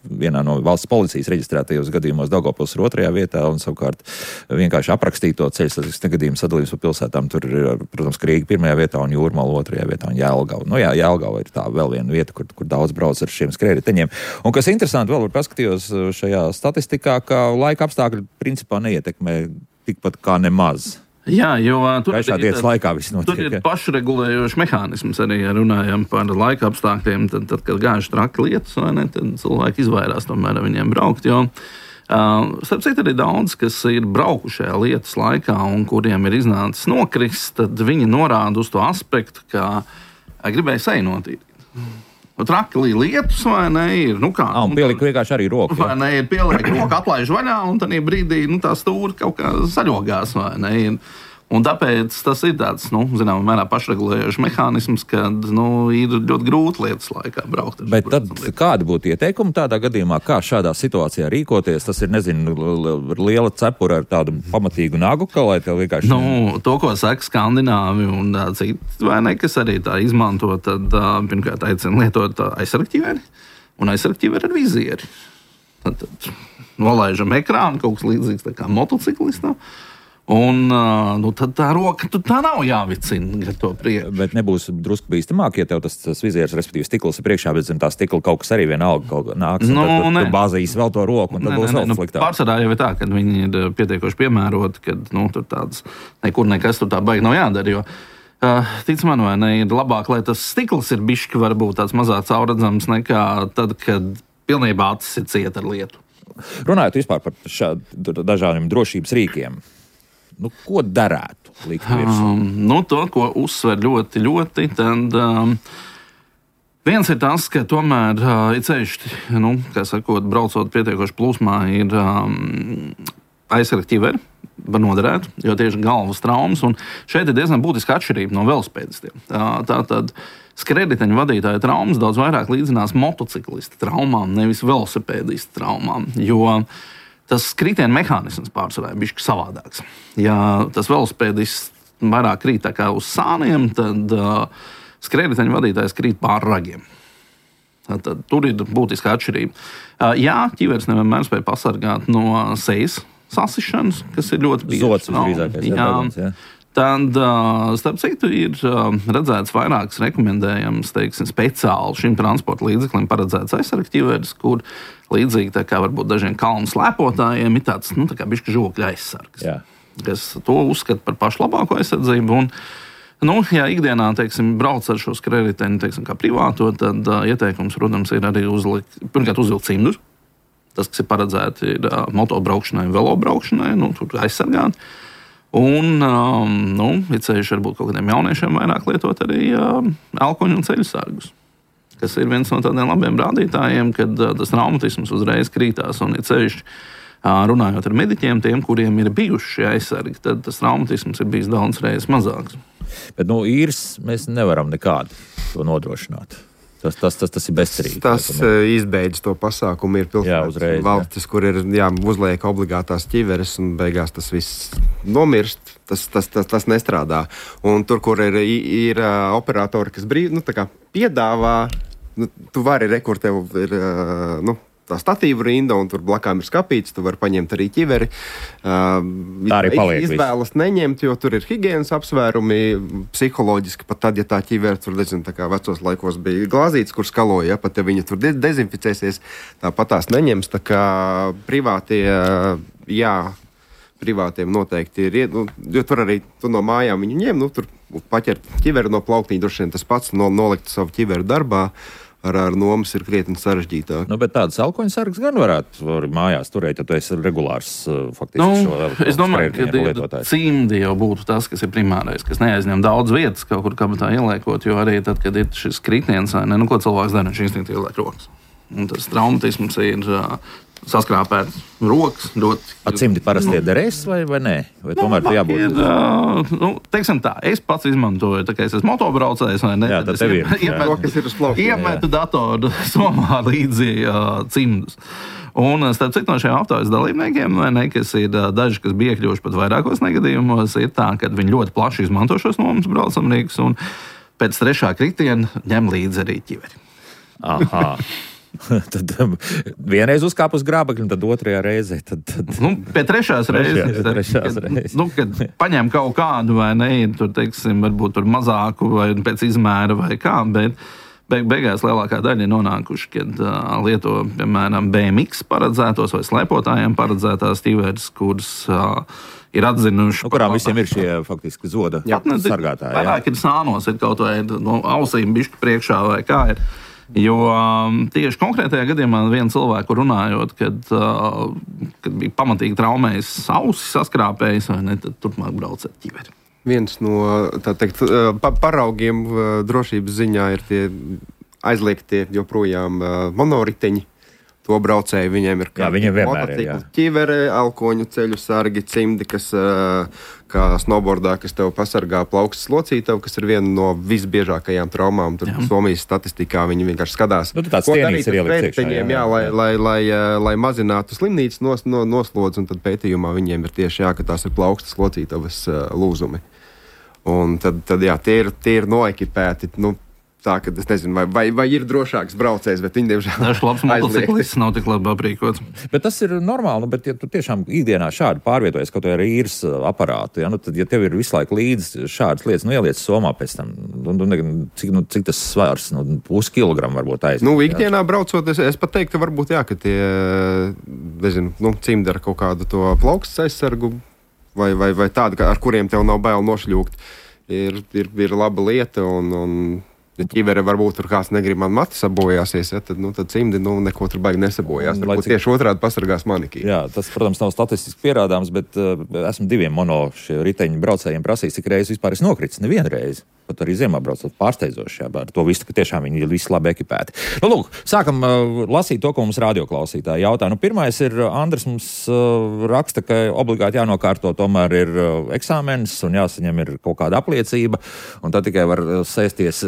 [SPEAKER 1] vienā no valsts policijas reģistrētajos gadījumos. Daugavpils ir otrajā vietā, un savukārt vienkārši aprakstīto ceļu satiksmes negadījumu sadalījums pa pilsētām. Tur ir, protams, Rīga pirmajā vietā un Jūrmala otrajā vietā un Jelgava. Nu jā, Jelgava ir tā vēl viena vieta, kur, kur daudz brauc ar šiem skrējriteņiem. Un kas interesanti, vēl var paskatījos šajā statistikā, ka laika apstākļi principā neietekmē tikpat kā nemaz.
[SPEAKER 2] Jā, jo tur
[SPEAKER 1] ir, laikā notiek,
[SPEAKER 2] tur ir pašregulējošs mehānisms arī, ja runājam par laika apstākļiem. Tad, tad kad gājuši traki lietus, vai ne, tad cilvēki izvairās tomēr ar viņiem braukt. Jo, uh, starp citu, arī daudz, kas ir braukuši šajā lietus laikā un kuriem ir iznācis nokrist, tad viņi norāda uz to aspektu, ka gribēja seju notīrīt. Traki lietus, vai ne, ir, nu kā...
[SPEAKER 1] Un pieliku vienkārši arī roku.
[SPEAKER 2] Vai ne, ir pieliek roku, atlaiž vaļā, un tad brīdī, nu, tā stūri kaut kā saļogās, vai ne, ir. Un tāpēc tas ir tāds, nu, zinām, mērā pašregulējošs mehānisms, kad, nu, ir ļoti grūti lietas laikā braukt.
[SPEAKER 1] Bet tad kādi būtu ieteikumi tādā gadījumā, kā šādā situācijā rīkoties? Tas ir, nezinu, liela cepura ar tādu pamatīgu nagu, ka lai tev vienkārši...
[SPEAKER 2] Nu, to, ko saka skandināvi un citi, vai ne, kas arī tā izmanto, tad pirmkārt aicina lietot aizsargķiveri un aizsargķiveri ar vizieri. Tad, tad nolaižam ekrānu, kaut kas līdzīgs tā kā motociklistam. Un nu, tad tā roka tā nav jāvicina ar to prieku.
[SPEAKER 1] Bet nebūs drusku bīstamāk, ja tev tas, tas vizieris, respektīvi stikls ir priekšā, bet zem tā stikla kaut kas arī vienalga kaut kā nāks. Nu, tad, tad tu bāzīs vēl to roku, un tad ne, būs ne, vēl sliktāk.
[SPEAKER 2] Nu, pārsvarā jau ir tā, ka viņi ir pietiekoši piemēroti, kad nu, tur tāds nekur nekas tur tā baigi nav jādara. Jo, uh, tic man, vai ne, ir labāk, lai tas stikls ir bišķi varbūt tāds mazāk caurredzams nekā tad, kad pilnībā acis ir cieta ar lietu.
[SPEAKER 1] Runājot vispār par šādu dažādiem drošības rīkiem. Nu, ko darētu likt virsū?
[SPEAKER 2] Um, nu, to, ko uzsver ļoti, ļoti, tad um, viens ir tas, ka tomēr uh, ir ceļš, nu, kā sakot, braucot pietiekoši plūsmā, ir um, aizsargķiveri, var noderēt, jo tieši galvas traumas, un šeit ir diezgan būtiska atšķirība no velospēdistiem. Tā, tā tad skrējriteņu vadītāja traumas daudz vairāk līdzinās motociklista traumām, nevis velosipēdista traumām, jo tas kritiena mehānisms pārsvarā ir bišķi savādāks. Ja tas velospēdists vairāk krīt tā kā uz sāniem, tad uh, skrējriteņu vadītājs krīt pār ragiem. Tad, tad tur ir būtiska atšķirība. Uh, jā, ķiveres nevienmēr spēj pasargāt no sejas sasišanas, kas ir ļoti bieži.
[SPEAKER 1] Zots visdrīzākais.
[SPEAKER 2] Jā,
[SPEAKER 1] jā.
[SPEAKER 2] Tad, starp citu, ir redzēts vairākas rekomendējams, teiksim, speciāli šim transporta līdzeklim paredzēts aizsarga ķiveres, kur līdzīgi tā kā varbūt dažiem kalnu slēpotājiem ir tāds, nu, tā kā bišķi žokļa aizsargs, Jā. Kas to uzskata par pašu labāko aizsardzību. Un, nu, ja ikdienā, teiksim, brauc ar šo skrējēju, teiksim, kā privāto, tad uh, ieteikums, protams, ir arī uzlikt, pirmkārt uzvilkt cimdus. Tas, kas ir paredzēti, ir uh, motobraukšanai, velobraukšanai, nu, tur aizsargāt. Un, um, nu, ir ceļš varbūt kaut kādiem jauniešiem vairāk lietot arī uh, elkoņu un ceļu sargus, kas ir viens no tādiem labiem rādītājiem, kad uh, tas traumatisms uzreiz krītās un ir ceļš. Uh, runājot ar mediķiem, tiem, kuriem ir bijuši šie aizsargi, tad tas traumatisms ir bijis daudz reizes mazāks.
[SPEAKER 1] Bet no īres mēs nevaram nekādi to nodrošināt. Tas, tas, tas, tas ir bezcerīgi.
[SPEAKER 4] Tas izbeidz to pasākumu. Ir pilsētas valstis, jā. Kur ir jā, uzliek obligātās ķiveres un beigās tas viss nomirst. Tas, tas, tas, tas nestrādā. Un tur, kur ir, ir uh, operatori, kas brīv, nu, tā kā piedāvā, nu, tu vari rekurtev ir, uh, nu, tā statīva rinda, un tur blakām ir skapīts, tu vari paņemt arī ķiveri. Uh,
[SPEAKER 1] tā arī paliek.
[SPEAKER 4] Izvēlas visu. Neņemt, jo tur ir higienas apsvērumi, psiholoģiski, pat tad, ja tā ķiveri tur, nezinu, tā kā vecos laikos bija glāzītes, kur skaloja, ja, pat ja viņa tur de- dezinficēsies, tāpat tās neņems, tā kā privātie, jā, privātiem noteikti ir, nu, jo tur arī tu no mājām viņu ņem, nu, tur paķert ķiveri no plauktiņa, droši vien tas pats, no, nolikt savu ķiveri darbā. Ar, ar nomas ir krietni sarežģītāk.
[SPEAKER 1] Nu, bet tādas elkoņu sargas gan varētu mājās turēt, ja tu esi regulārs faktiski
[SPEAKER 2] nu,
[SPEAKER 1] šo
[SPEAKER 2] es domāju, ka cimdi jau būtu tas, kas ir primārais, kas neaizņem daudz vietas kaut kur kabatā ieliekot, jo arī tad, kad ir šis kritiens, ne, nu, ko cilvēks dara, viņš instinktīvi ieliek rokas. Un tas traumatisms ir uh, saskrāpēt rokas.
[SPEAKER 1] Ar cimdi parasti ir derēs vai, vai nē? Vai tomēr nu, jābūt?
[SPEAKER 2] Ir, uh, nu, teiksim tā, es pats izmantoju, tā kā es esmu motobraucējs, vai ne?
[SPEAKER 1] Jā, tad tev ir.
[SPEAKER 2] Iemetu datoru somā līdzi uh, cimdus. Un, starp citu, no šiem aptaujas dalībniekiem, ne, kas ir daži, kas bija iekļuvuši pat vairākos negadījumos, ir tā, ka viņi ļoti plaši izmanto šos nomas braucamrīkus un pēc trešā kritiena ņem līdzi arī ķiveri.
[SPEAKER 1] Aha. Tad um, vienreiz uzkāp uz grābekļa, un tad otrajā reizē. Tad, tad...
[SPEAKER 2] Nu, pie trešās reizes,
[SPEAKER 1] tad, trešās
[SPEAKER 2] kad,
[SPEAKER 1] reizes.
[SPEAKER 2] Nu, kad paņem kaut kādu vai ne, tur, teiksim, varbūt tur mazāku vai pēc izmēra vai kā, bet beig, beigās lielākā daļa ir nonākuši, kad uh, lieto, piemēram, B M X paredzētos vai slēpotājiem paredzētās tīvērs, kuras uh, ir atzinuši.
[SPEAKER 1] Nu, kurām visiem ir šie faktiski zoda jā, sargātāji.
[SPEAKER 2] Vairāk ir sānos, ir kaut vai no ausīm bišķi priekšā vai kā ir. Jo um, tieši konkrētajā gadījumā viena cilvēku runājot, kad, uh, kad bija pamatīgi traumējis ausis, saskrāpējis, vai ne, tad turpmāk brauc ar ķiveri.
[SPEAKER 4] Viens no tā teikt, pa, paraugiem drošības ziņā ir tie aizliegtie joprojām monoriteņi. To braucēju viņiem ir kā motocikli, ķivere, elkoņu ceļu sargi, cimdi, kas kā snowboardā, kas tev pasargā plaukstas locītavu, kas ir viena no visbiežākajām traumām. Tur Somijas statistikā viņi vienkārši skatās.
[SPEAKER 1] Nu, tāds tienīgs ir ielikt iekšā.
[SPEAKER 4] Jā, jā, lai, lai, lai, lai mazinātu slimnīcas nos, no, noslodzi, un tad pētījumā viņiem ir tieši jā, ka tās ir plaukstas locītavas lūzumi. Un tad, tad jā, tie ir, tie ir noekipēti, nu, tā, ka es nezinu, vai, vai, vai ir drošāks braucējs, bet viņi diemžēl
[SPEAKER 2] dažs labs motociklists nav tik labi aprīkots.
[SPEAKER 1] Bet tas ir normāli, nu, bet ja tu tiešām ikdienā šādi pārvietojies, kaut vai ar īres aparātu, ja, nu, tad, ja tev ir visu laiku līdzi šādas lietas, nu, ieliec somā pēc tam, nu, nu, cik, nu, cik tas svars, nu, pus kilogramu varbūt aiziet.
[SPEAKER 4] Nu, ikdienā braucot, es, es pat teiktu, ka varbūt jā, ka tie, nezinu, nu, cimdi ar kaut kādu to plaukstas aizsargu vai, vai, vai tādu, ar kuriem tev nav bail nošļūkt, ir, ir, ir laba lieta un, un ja ķivere varbūt tur kāds negrib man mati sabojāsies, ja, tad, nu, tad cimdi nu, neko tur baigi nesabojās. Varbūt cik... tieši otrādi pasargās manikī.
[SPEAKER 1] Jā, tas, protams, nav statistiski pierādāms, bet uh, esmu diviem mono riteņu braucējiem prasījis, cik reizes vispār es nokritis. Nevienu reizi. Pat arī ziemā braucot pārsteidzoši, jā, ar to visu, ka tiešām viņi ir visi labi ekipēti. Nu, lūk, sākam uh, lasīt to, ko mums radioklausītāji jautā. Nu, pirmais ir, Andris mums uh, raksta, ka obligāti jānokārto tomēr ir uh, eksāmenis un jāsaņem ir kaut kāda apliecība, un tad tikai var uh, sēsties,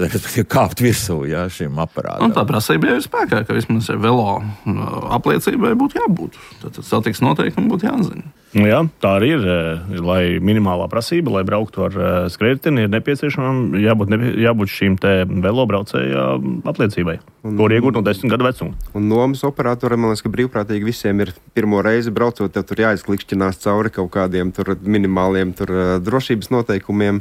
[SPEAKER 1] kāpt virsū, jā, šim aparātam.
[SPEAKER 2] Un tā prasība jau ir spēkā, ka vismaz velo apliecībai būtu jābūt. Tad satiks noteikumi būtu jāzina.
[SPEAKER 3] Jā, tā arī ir. Lai minimālā prasība, lai brauktu ar skrējēju, ir nepieciešama jābūt, nepie, jābūt šīm te velobraucēja apliecībai, un, ko iegūt no desmit gadu vecuma.
[SPEAKER 4] Un nomas operatoriem, man liekas, ka brīvprātīgi visiem ir pirmo reizi braucot, tev tur jāizklikšķinās cauri kaut kādiem tur minimāliem tur drošības noteikumiem.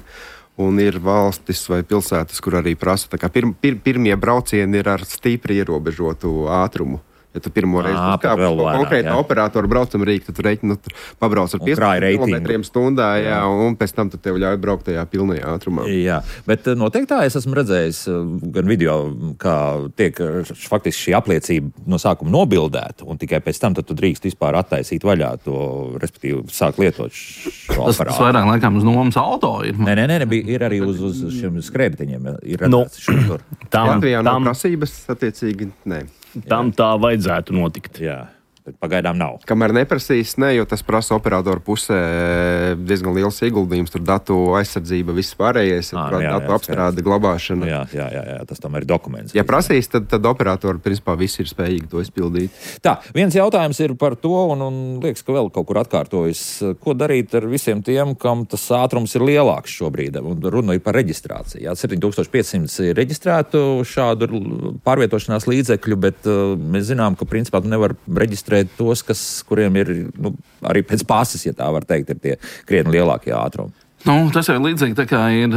[SPEAKER 4] Un ir valstis vai pilsētas, kur arī prasa, tā kā pir, pir, pirmie braucieni ir ar stīpri ierobežotu ātrumu. Ja tu pirmo reizi uzkāp uz konkrētā operatora braucam rīku, tad tu reiķi, nu, pabrauc ar piecdesmit kilometriem stundā, jā, jā, un pēc tam tu tev ļauj braukt tajā pilnajā ātrumā.
[SPEAKER 1] Jā, bet noteikti tā es esmu redzējis gan video, kā tiek faktiski šī apliecība no sākuma nobildēta, un tikai pēc tam tad tu drīkst vispār attaisīt vaļā to, respektīvi, sāk lietot šo
[SPEAKER 2] tas,
[SPEAKER 1] aparātu.
[SPEAKER 2] Tas vairāk laikam uz nomas auto ir.
[SPEAKER 1] Nē, nē, nē, bija, ir arī uz, uz šiem skrējējiņiem. Ir redzēts šur tur.
[SPEAKER 4] Latvijā nav prasības, attiecīgi, nē.
[SPEAKER 3] Tam tā vajadzētu notikt.
[SPEAKER 1] Jā, bet pagaidām nav.
[SPEAKER 4] Kamēr neprasīs, ne, jo tas prasa operatoru pusē diezgan liels ieguldījums, tur datu aizsardzība, viss pārējais, à, jā, datu jā, apstrāde, glabāšana.
[SPEAKER 1] Jā, jā, jā, jā, tas tomēr ir dokuments.
[SPEAKER 4] Ja prasīs, tad, tad operatori, principā, visi ir spējīgi to izpildīt.
[SPEAKER 1] Tā, viens jautājums ir par to, un, un liekas, ka vēl kaut kur atkārtojas. Ko darīt ar visiem tiem, kam tas ātrums ir lielāks šobrīd? Un runa ir par reģistrāciju. Jā, septiņi tūkstoši pieci simti ir reģistrētu šādu pārvietošanās līdzekļu, bet uh, mēs zinām, ka principā tu nevar reģistrēt tos, kas, kuriem ir, nu, arī pēc pases, ja tā var teikt, ir tie krietni lielākie ātrumi.
[SPEAKER 2] Nu, tas jau ir līdzīgi, tā kā ir,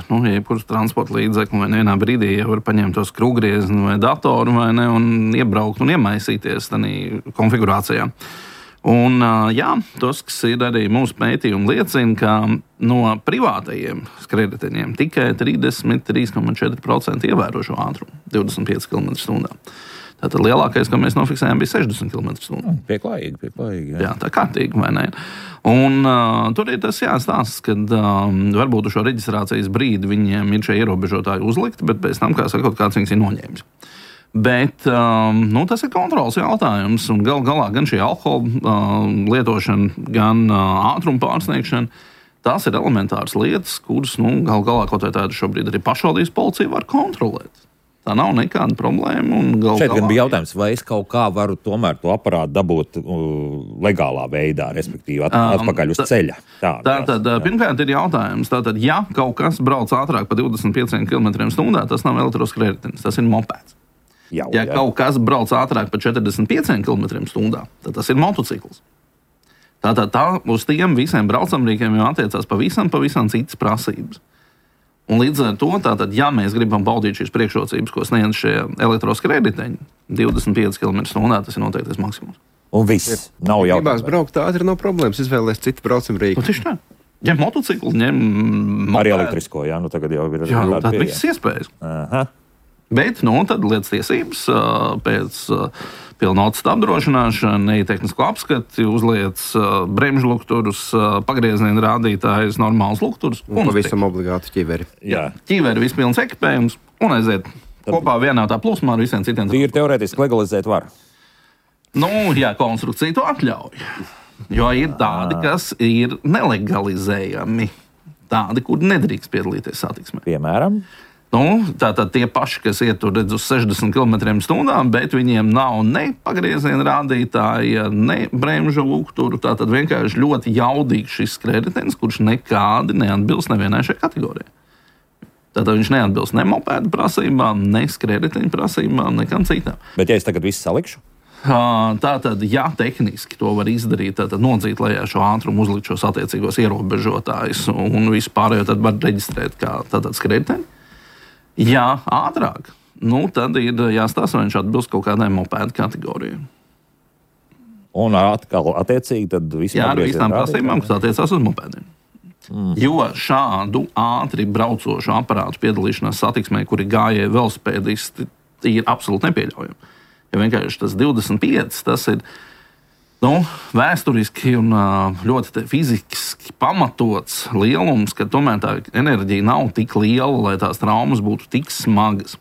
[SPEAKER 2] nu, jebkurš transporta līdzekļu, vai vienā brīdī jau var paņemt tos krūgriezni vai datoru, vai ne, un iebraukt un iemaisīties tādā konfigurācijā. Un, jā, tas, kas ir arī mūsu pētījumi liecina, ka no privātajiem skrējējiņiem tikai trīsdesmit trīs komats četri procenti ievēro šo ātrumu, divdesmit pieci kilometri stundā. Tātad lielākais, ko mēs nofiksējām, bija sešdesmit kilometri stundā.
[SPEAKER 1] Pieklājīgi, pieklājīgi. Jā,
[SPEAKER 2] jā tā kārtīgi, vai ne? Un uh, tur ir tas jāstāsta, ka um, varbūt uz šo reģistrācijas brīdi viņiem ir šie ierobežotāji uzlikti, bet pēc tam, kā sakot, kāds viņus ir noņēmis. Bet um, nu, tas ir kontrols jautājums, un gal galā gan šī alkohola uh, lietošana, gan uh, ātruma pārsniegšana, tās ir elementāras lietas, kuras, nu, gal galā kaut vai tādu šobrīd arī pašvaldības policija var kontrolēt. Tā nav nekāda problēma.
[SPEAKER 1] Šeit gan bija jautājums, vai es kaut kā varu tomēr to aparātu dabūt uh, legālā veidā, respektīvi at, atpakaļ uz um, ceļa. Tā,
[SPEAKER 2] tā, tad, pirmkārt ir jautājums, tātad, ja kaut kas brauc ātrāk par divdesmit pieciem kilometriem stundā, tas nav elektroskrējējs, tas ir mopeds.
[SPEAKER 1] Jau,
[SPEAKER 2] ja
[SPEAKER 1] jā.
[SPEAKER 2] Kaut kas brauc ātrāk par četrdesmit pieciem kilometriem stundā, tad tas ir motocikls. Tātad tā, uz tiem visiem braucamrīkiem jau attiecās pavisam, pavisam citas prasības. Un līdz ar to, tātad, ja mēs gribam baudīt šīs priekšrocības, ko sniedz šie elektroskrējēji, divdesmit pieci kilometri stundā, tas ir noteiktais maksimums.
[SPEAKER 1] Un viss. Nav jautājums.
[SPEAKER 4] Gribās braukt ātri, nav problēmas. Izvēlēs citu braucamrīku.
[SPEAKER 2] Nu, tieši tā. Ņem motociklu, ņem mopēdu.
[SPEAKER 1] Arī elektrisko, jā, nu tagad jau ir.
[SPEAKER 2] Jā, tād visas iespējas.
[SPEAKER 1] Aha.
[SPEAKER 2] Bet, nu, tad lietas tiesības pēc pilnotas apdrošināšana, tehnisko apskati, uzliec bremžu lukturus, pagrieziena rādītājus, normāls lukturus.
[SPEAKER 4] Un pavisam obligāti ķiveri.
[SPEAKER 2] Jā, ķiveri, vispilns ekipējums un aiziet tad kopā vienā tā plūsmā ar visiem citiem.
[SPEAKER 1] Tīri teorētiski legalizēt var.
[SPEAKER 2] Nu, jā, konstrukcija to atļauj. Jo ir tādi, kas ir nelegalizējami. Tādi, kur nedrīkst piedalīties satiksmē.
[SPEAKER 1] Piemēram?
[SPEAKER 2] Nu, tātad tie paši, kas iet tur redz uz sešdesmit kilometriem stundā, bet viņiem nav ne pagrieziena rādītāja, ne bremžu lukturu. Tātad vienkārši ļoti jaudīgs šis skrējējs, kurš nekādi neatbilst nevienai šai kategorijai. Tātad viņš neatbilst ne mopēdu prasībām, ne skrējēju prasībām, nekam citam.
[SPEAKER 1] Bet ja es tagad visu salikšu?
[SPEAKER 2] Tātad, ja tehniski to var izdarīt, tad nodzīt lejā šo ātrumu, uzlikt šos attiecīgos ierobežotājus un visu pārējo tad var reģistrēt kā tātad skrējēju. Ja ātrāk, nu, tad ir jāstāsta, vai viņš atbilst kaut kādai mopēdu kategorijai.
[SPEAKER 1] Un atkal attiecīgi tad viss
[SPEAKER 2] jā, ar visām prasībām, kas attiecās uz mopēdiem. Mm. Jo šādu ātri braucošu aparātu piedalīšanās satiksmē, kuri gājēji velosipēdisti, ir absolūti nepieļaujami. Ja vienkārši tas divdesmit pieci, tas ir nu, vēsturiski un ļoti fiziski pamatots lielums, ka tomēr tā enerģija nav tik liela, lai tās traumas būtu tik smagas.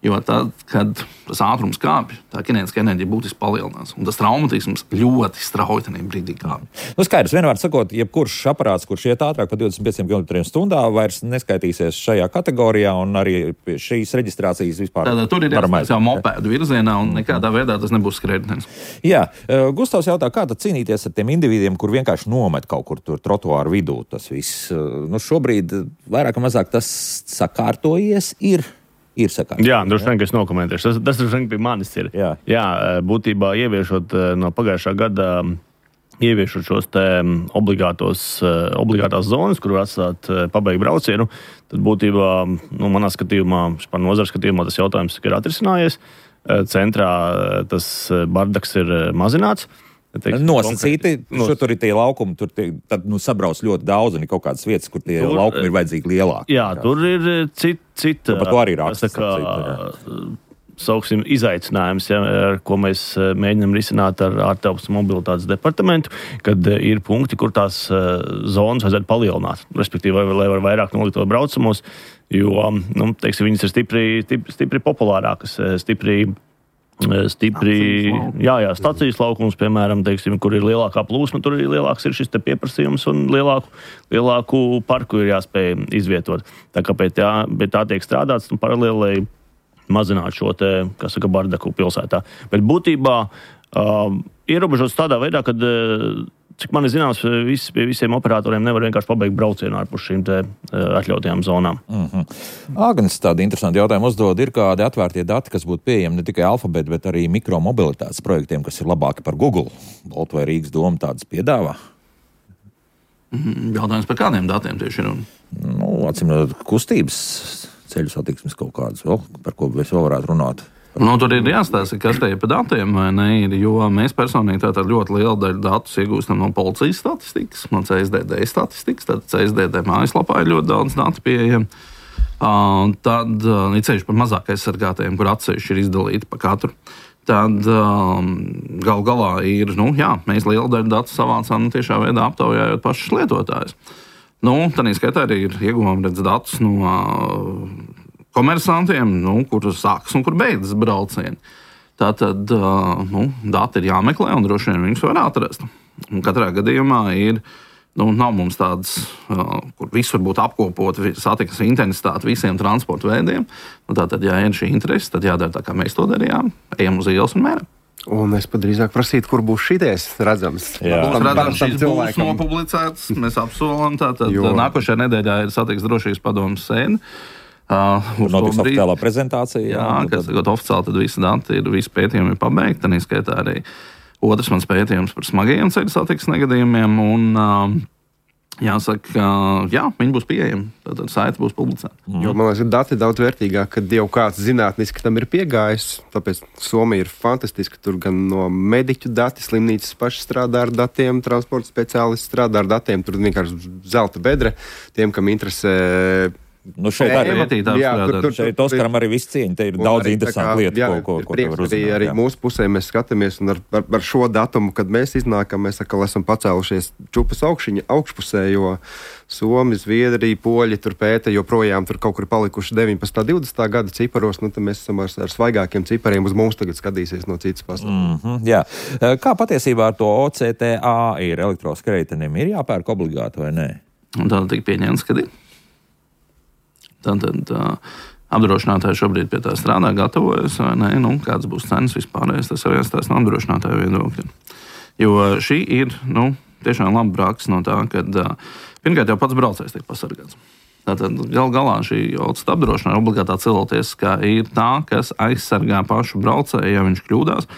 [SPEAKER 2] Jo tad, kad tas ātrums kāpj, tā kinētiskā enerģija būtiski palielinās. Un tas traumatisms ļoti strauji tajā brīdī kāpj.
[SPEAKER 1] Nu, skaidrs, vienmēr sakot, jebkurš aparāts, kurš iet ātrāk par divdesmit pieciem kilometriem stundā, vairs neskaitīsies šajā kategorijā, un arī šīs reģistrācijas vispār.
[SPEAKER 2] Tātad tur ir jāstājas jau mopēdu virzienā, un nekādā veidā tas nebūs skrējējums.
[SPEAKER 1] Jā, Gustavs jautā, kā tad cīnīties ar tiem individiem, kur vienkārši nomet kaut kur tur trotuāru vidū tas viss. Nu, šobrīd vairāk vai mazāk tas sakārtojies ir. Ir sakārtot.
[SPEAKER 3] Jā, droši vien, ka es nokomentēšu. Tas, tas droši vien pie manis ir.
[SPEAKER 1] Jā.
[SPEAKER 3] Jā, būtībā ieviešot no pagājušā gada, ieviešot šos te obligātos, obligātās zonas, kur var atstāt pabeigt braucienu, tad būtībā, nu, manā skatījumā, par nozaru skatījumā tas jautājums ir atrisinājies. Centrā tas bardaks ir mazināts.
[SPEAKER 1] Teiksim, nosacīti, nos... tur ir tie laukumi, tur tie, tad, nu, sabrauc ļoti daudz, un ir kaut kādas vietas, kur tie tur, laukumi ir vajadzīgi lielāki.
[SPEAKER 3] Jā, tur ir cita, cita
[SPEAKER 1] par to arī raksts.
[SPEAKER 3] Sauksim, izaicinājums, ja, ar ko mēs mēģinām risināt ar ārtelpas mobilitātes departamentu, kad ir punkti, kur tās zonas vajadzētu palielināt, respektīvi, lai var vairāk nolikt to braucamos, jo, nu, teiksim, viņas ir stipri, stipri, stipri populārākas, stipri Stipri, jā, jā, stacijas laukums, piemēram, teiksim, kur ir lielākā plūsma, tur ir lielāks ir šis te pieprasījums un lielāku, lielāku parku ir jāspēj izvietot. Tā kā pie tā, pie tā tiek strādāts un paralēli mazināt šo te, kas saka, bardaku pilsētā. Bet būtībā uh, ierobežots tādā veidā, kad, uh, cik man ir zināms, vis, pie visiem operatoriem nevar vienkārši pabeigt braucienu ārpus šīm te uh, atļautajām zonām.
[SPEAKER 1] Mm-hmm. Agnes tādi interesanti jautājumi uzdod. Ir kādi atvērtie dati, kas būtu pieejami ne tikai alfabēta, bet arī mikromobilitātes projektiem, kas ir labāki par Google? Boltu vai Rīgas doma tādas piedāvā?
[SPEAKER 2] Mm, jautājums par kādiem datiem tieši ir?
[SPEAKER 1] Nu, atsimot kustības ceļu satiksmes kaut kādas vēl, par ko mēs vēl varētu runāt.
[SPEAKER 2] Nu, tur ir jāstāsta, kas te ir pa datiem, vai ne, ir, jo mēs personīgi tātad ļoti lielu daļu datus iegūstam no policijas statistikas, no C S D D statistikas, tad C S D D mājaslapā ir ļoti daudz datu pieejami. Uh, tad uh, ir ceļš par mazāk aizsargātajiem, kur atsevišķi ir izdalīti pa katru. Tad um, gal galā ir, nu jā, mēs lielu daļu datu savācām tiešā veidā aptaujājot pašus lietotājus. Nu, tādā skaitā arī ir ieguvām redz datus no uh, komersantiem, nu, kur sākas un kur beidzas braucieni. Tātad nu, dati ir jāmeklē un droši vien viņus var atrast. Un katrā gadījumā ir, nu, nav mums tādas, kur viss var būt apkopot, satiksmes intensitāti visiem transporta veidiem. Nu, tātad, ja ir šī interese, tad jādara tā, kā mēs to darījām, ejam uz ielas un mēram.
[SPEAKER 4] Un es pat drīzāk prasītu, kur būs šities redzams.
[SPEAKER 2] Jā, būs redzams, šis būs nopublicēts, mēs apsolam. Tātad jo. Nākošajā nedēļā ir satiksmes drošības padomes sēde.
[SPEAKER 1] Uh, notiks oficiālā prezentācija.
[SPEAKER 2] Jā, jā kas tagad oficiāli tad visi dati ir, visi pētījumi ir pabeigti. Tad izskaitā arī otrs mans pētījums par smagajiem ceļu satiksmes negadījumiem. Un, uh, jāsaka, uh, jā, viņi būs pieejami. Tad saite būs publicēta.
[SPEAKER 4] Mm. Jo, man liekas, dati daudz vērtīgāk, kad jau kāds zinātniski tam ir piegājis. Tāpēc Somija ir fantastiska. Tur gan no mediķu dati, slimnīcas paši strādā ar datiem, transporta speciālisti strādā ar datiem. Tur vienkārši zelta bedre tiem, kam interesē.
[SPEAKER 1] Nu šeit arī šeit Oskaram arī viss cieņa, te ir daudz interesantu lietu,
[SPEAKER 4] jā,
[SPEAKER 1] ko, ko, ko
[SPEAKER 4] prieks, arī, arī mūsu pusē mēs skatāmies, un ar, ar, ar šo datumu, kad mēs iznākam, mēs atkal esam pacēlušies čupas augšiņa, augšpusē, jo Somi, Zviedrija, Poļi tur pēta, joprojām tur kaut kur palikuši deviņpadsmitā, divdesmitā gada ciparos, nu tad mēs esam ar, ar svaigākiem cipariem, uz mums tagad skatīsies no citas pasaules.
[SPEAKER 1] Mm-hmm, jā. Kā patiesībā ar to O C T A ir elektroskrējtenim? Ir jāpērk obligāti vai nē?
[SPEAKER 2] Un tā tika pieņemts, kad ir. Tātad uh, apdrošinātāji šobrīd pie tā strādā, gatavojas, vai ne, nu, kāds būs cenas vispārējais, tas arī jāstāsta no apdrošinātāju viedokļa. Jo šī ir, nu, tiešām laba praksa no tā, kad uh, pirmkārt jau pats braucējs tiek pasargāts. Tātad gal galā šī otrā apdrošināšana obligātā cilvēktiesiskā ir tā, kas aizsargā pašu braucēju, ja viņš kļūdās.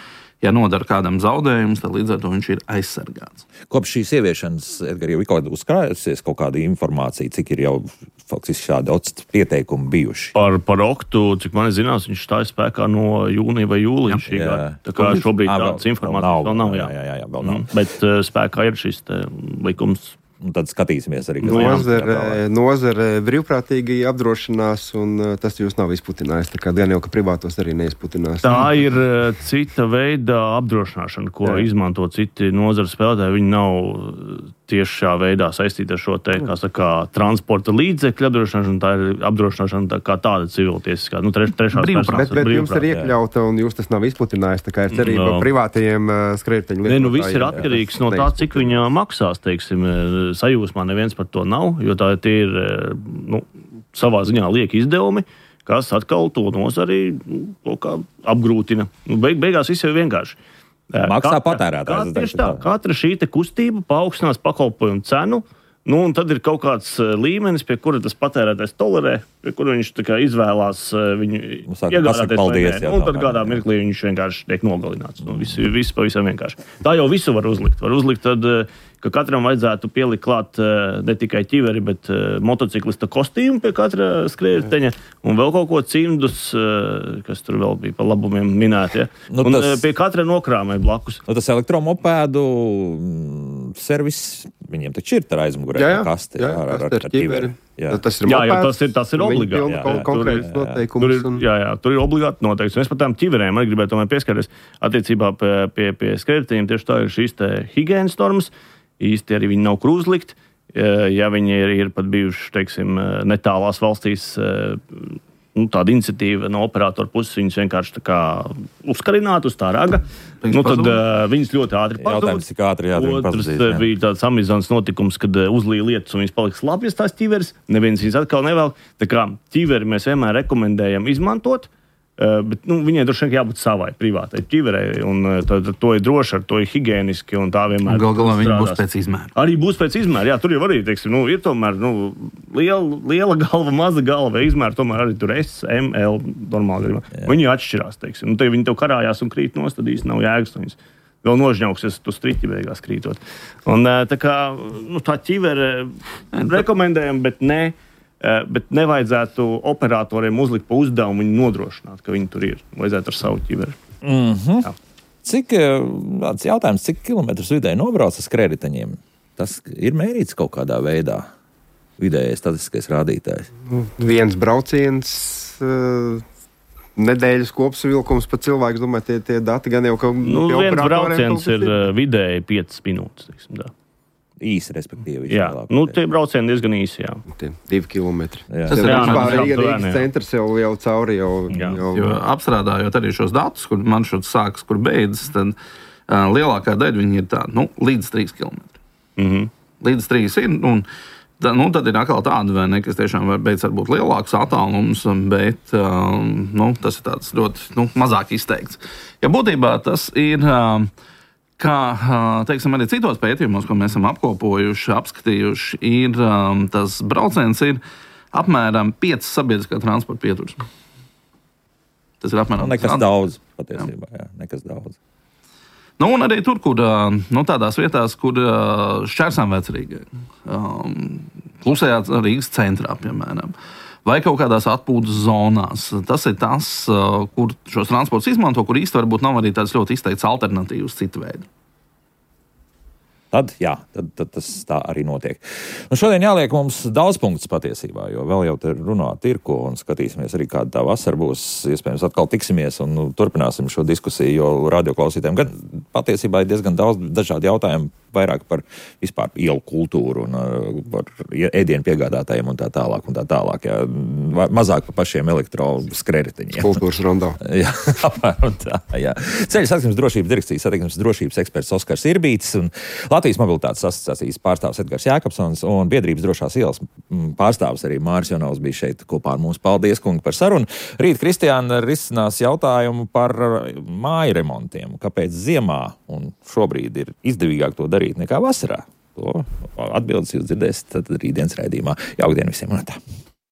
[SPEAKER 2] Ja nodara kādam zaudējumus, tad līdz ar to viņš ir aizsargāts.
[SPEAKER 1] Kopš šīs ieviešanas, Edgar, jau ir kaut kāda uzkrājusies kaut kāda informācija, cik ir jau faktiski šādi daudz pieteikumi bijuši?
[SPEAKER 3] Par, par oktu, cik man zināms, viņš stāja spēkā no jūnija vai jūlija šī gada. Tā kā šobrīd tādas informācijas vēl nav.
[SPEAKER 1] Jā, jā, jā, jā, vēl nav.
[SPEAKER 3] Mm, bet uh, spēkā ir šis te likums.
[SPEAKER 1] Un tad skatīsimies arī, kas
[SPEAKER 4] nozare, nozare brīvprātīgi apdrošinās, un tas jūs nav izputinājis. Tā kā gan jau, ka privātos arī neizputinās.
[SPEAKER 3] Tā ir cita veida apdrošināšana, ko jā. izmanto citi nozara spēlētāji. Viņi nav tiešā veidā saistīta ar šo te, kā saka, transporta līdzekļu apdrošināšanu, tā ir apdrošināšana tā kā tāda civiltiesiskā, nu, treš, trešās personas.
[SPEAKER 4] Bet, bet jums ir iekļauta un jūs tas nav izplatinājis, tā kā ir cerība no. privātajiem uh, skrējēju lietotājiem.
[SPEAKER 3] Ne, nu viss ir atkarīgs jā, no tā, cik viņa maksās, teiksim, sajūsmā neviens par to nav, jo tā tie ir, nu, savā ziņā lieki izdevumi, kas atkal to nozari nu, kā apgrūtina. Nu, beig, beigās viss jau vienkārši.
[SPEAKER 1] Maksā patērētājs.
[SPEAKER 3] Tieši tā, katra šī te kustība paaugstinās pakalpojumu cenu, nu, un tad ir kaut kāds līmenis, pie kura tas patērētājs tolerē, pie kura viņš tā kā izvēlās viņu iegādāties vai nē. Un tad kādā mirklī viņš vienkārši tiek nogalināts. Nu, viss, viss pavisam vienkārši. Tā jau visu var uzlikt. Var uzlikt tad, ka katram vajadzētu pielikt klāt ne tikai ķiveri, bet motociklista kostīmu pie katra skrējēja un vēl kaut ko cimdus, kas tur vēl bija pa labumiem minēti. Ja? Nu, un tas, pie katra nokrāmē blakus.
[SPEAKER 1] Nu, tas elektromopēdu servis, viņiem taču ir tā aizmugurē
[SPEAKER 4] jā, jā,
[SPEAKER 1] kaste
[SPEAKER 4] jā,
[SPEAKER 1] ar, ar,
[SPEAKER 4] ar ķiveri. Jā,
[SPEAKER 3] tas ir, jā, jā, tas ir, tas ir obligāti. Jā, jā,
[SPEAKER 4] tur, ir,
[SPEAKER 3] tur, ir,
[SPEAKER 4] un...
[SPEAKER 3] jā, jā, tur ir obligāti noteikts. Mēs par tām ķiverēm arī gribētu pieskarties attiecībā pie, pie, pie skrējējiem. Tieši tā ir šīs te higienas normas. Īsti arī viņi nav kur uzlikt. Ja viņi ir, ir pat bijuši, teiksim, netālās valstīs, nu, tāda iniciatīva no operatora puses, viņus vienkārši tā kā uzkarināt uz tā raga. Nu, tad uh, viņas ļoti ātri pazūd.
[SPEAKER 1] Jautājums, cik ātri jā,
[SPEAKER 3] Otrs pazudīs, bija tāds Amazonas notikums, kad uh, uzlīja lietas un viņas paliks slapjas tās ķiveres. Neviens viņas atkal nevēl. Tā kā ķiveri mēs vienmēr rekomendējam izmantot. Uh, bet nu, viņai droši vien jābūt savai privātai ķiverei, un uh, to, to ir droši, ar to ir higieniski, un tā vienmēr
[SPEAKER 2] gal galā viņi būs pēc izmēra.
[SPEAKER 3] Arī būs pēc izmēra, jā, tur jau arī, teiksim, nu, ir tomēr nu, liela, liela galva, maza galva, izmēra, tomēr arī tur S, M, L, normāli gadījumā. Viņi atšķirās, teiksim, nu, te viņi tev karājās un krīt nost, tad īsti nav jēgas, viņas vēl nožņauksies tu striķi beigās krītot. Un uh, tā kā, nu, tā ķivere rekomendējam, bet ne. Bet nevajadzētu operatoriem uzlikt pa uzdevumu viņu nodrošināt, ka viņi tur ir. Vajadzētu ar savu ķiveri.
[SPEAKER 1] Mm-hmm. Cik, tāds jautājums, cik kilometrus vidēji nobrauc ar skrējējiņiem? Tas ir mērīts kaut kādā veidā, vidējais statistiskais rādītājs?
[SPEAKER 4] Viens brauciens, nedēļas kopsavilkums pa cilvēku, domāju, tie, tie dati gan jau kaut
[SPEAKER 3] nu, viens brauciens ir vidēji piecas minūtes, teiksim, tā.
[SPEAKER 1] Īsi, respektīvi.
[SPEAKER 3] Jā, nu, tie braucieni diezgan īsi, jā.
[SPEAKER 4] Tie divi kilometri.
[SPEAKER 1] Jā.
[SPEAKER 4] Tas ir Rīgas centrs jau, jau cauri. Jau,
[SPEAKER 2] jau... Jo apstrādājot arī šos datus, kur maršruts sākas, kur beidzas, tad uh, lielākā daļa viņi ir tādi, nu, līdz trīs kilometri.
[SPEAKER 3] Mm-hmm.
[SPEAKER 2] Līdz trīs ir, un tā, nu, tad ir atkal tāda, vai ne, kas tiešām var beidz varbūt lielāks attālums, bet uh, nu, tas ir tāds ļoti, nu, mazāk izteikts. Ja būtībā tas ir... Uh, Kā teiksim, arī citos pētījumos, ko mēs esam apkopojuši, apskatījuši, ir um, tas brauciens ir apmēram piecas sabiedriskā transporta pieturas. Tas ir apmēram...
[SPEAKER 1] Nu, nekas tas daudz, patiesībā, jā. jā, nekas daudz.
[SPEAKER 2] Nu, un arī tur, kur, nu, tādās vietās, kur šķērsām vecrīgai, um, klusējā Rīgas centrā, piemēram, vai kaut kādās atpūtas zonās. Tas ir tas, kur šos transports izmanto, kur īsti varbūt nav arī tāds ļoti izteikts alternatīvas citu veidu.
[SPEAKER 1] Tad, jā, tad, tad tas tā arī notiek. Nu, šodien jāliek mums daudz punktus patiesībā, jo vēl jau te runāt ir ko, un skatīsimies arī, kāda tā vasara būs. Iespējams, atkal tiksimies un nu, turpināsim šo diskusiju, jo radioklausītājiem gan patiesībā ir diezgan daudz dažādu jautājumu, vairāk par vispār ielu kultūru un uh, par ēdienu piegādātājiem un tā tālāk un tā tālāk. Jā. Mazāk par pašiem elektroskrējējiņiem.
[SPEAKER 4] Kultūras rondā.
[SPEAKER 1] Jā, apmēram tā, jā. Ceļu satiksmes drošības direkcijas satiksmes drošības eksperts Oskars Irbītis un Latvijas mobilitātes asociācijas pārstāvs Edgars Jākapsons un biedrības drošās ielas pārstāvs arī Māris Jonovs bija šeit kopā ar mums. Paldies, kungi, par sarunu. Rīt Kristiāna risinās jautājumu par māju remontiem. Kāpēc ziemā un šobrīd ir izdevīgāk to darīt nekā vasarā? To atbildes jūs dzirdēsiet tad rītdienas raidījumā. Jauktdien visiem un tā!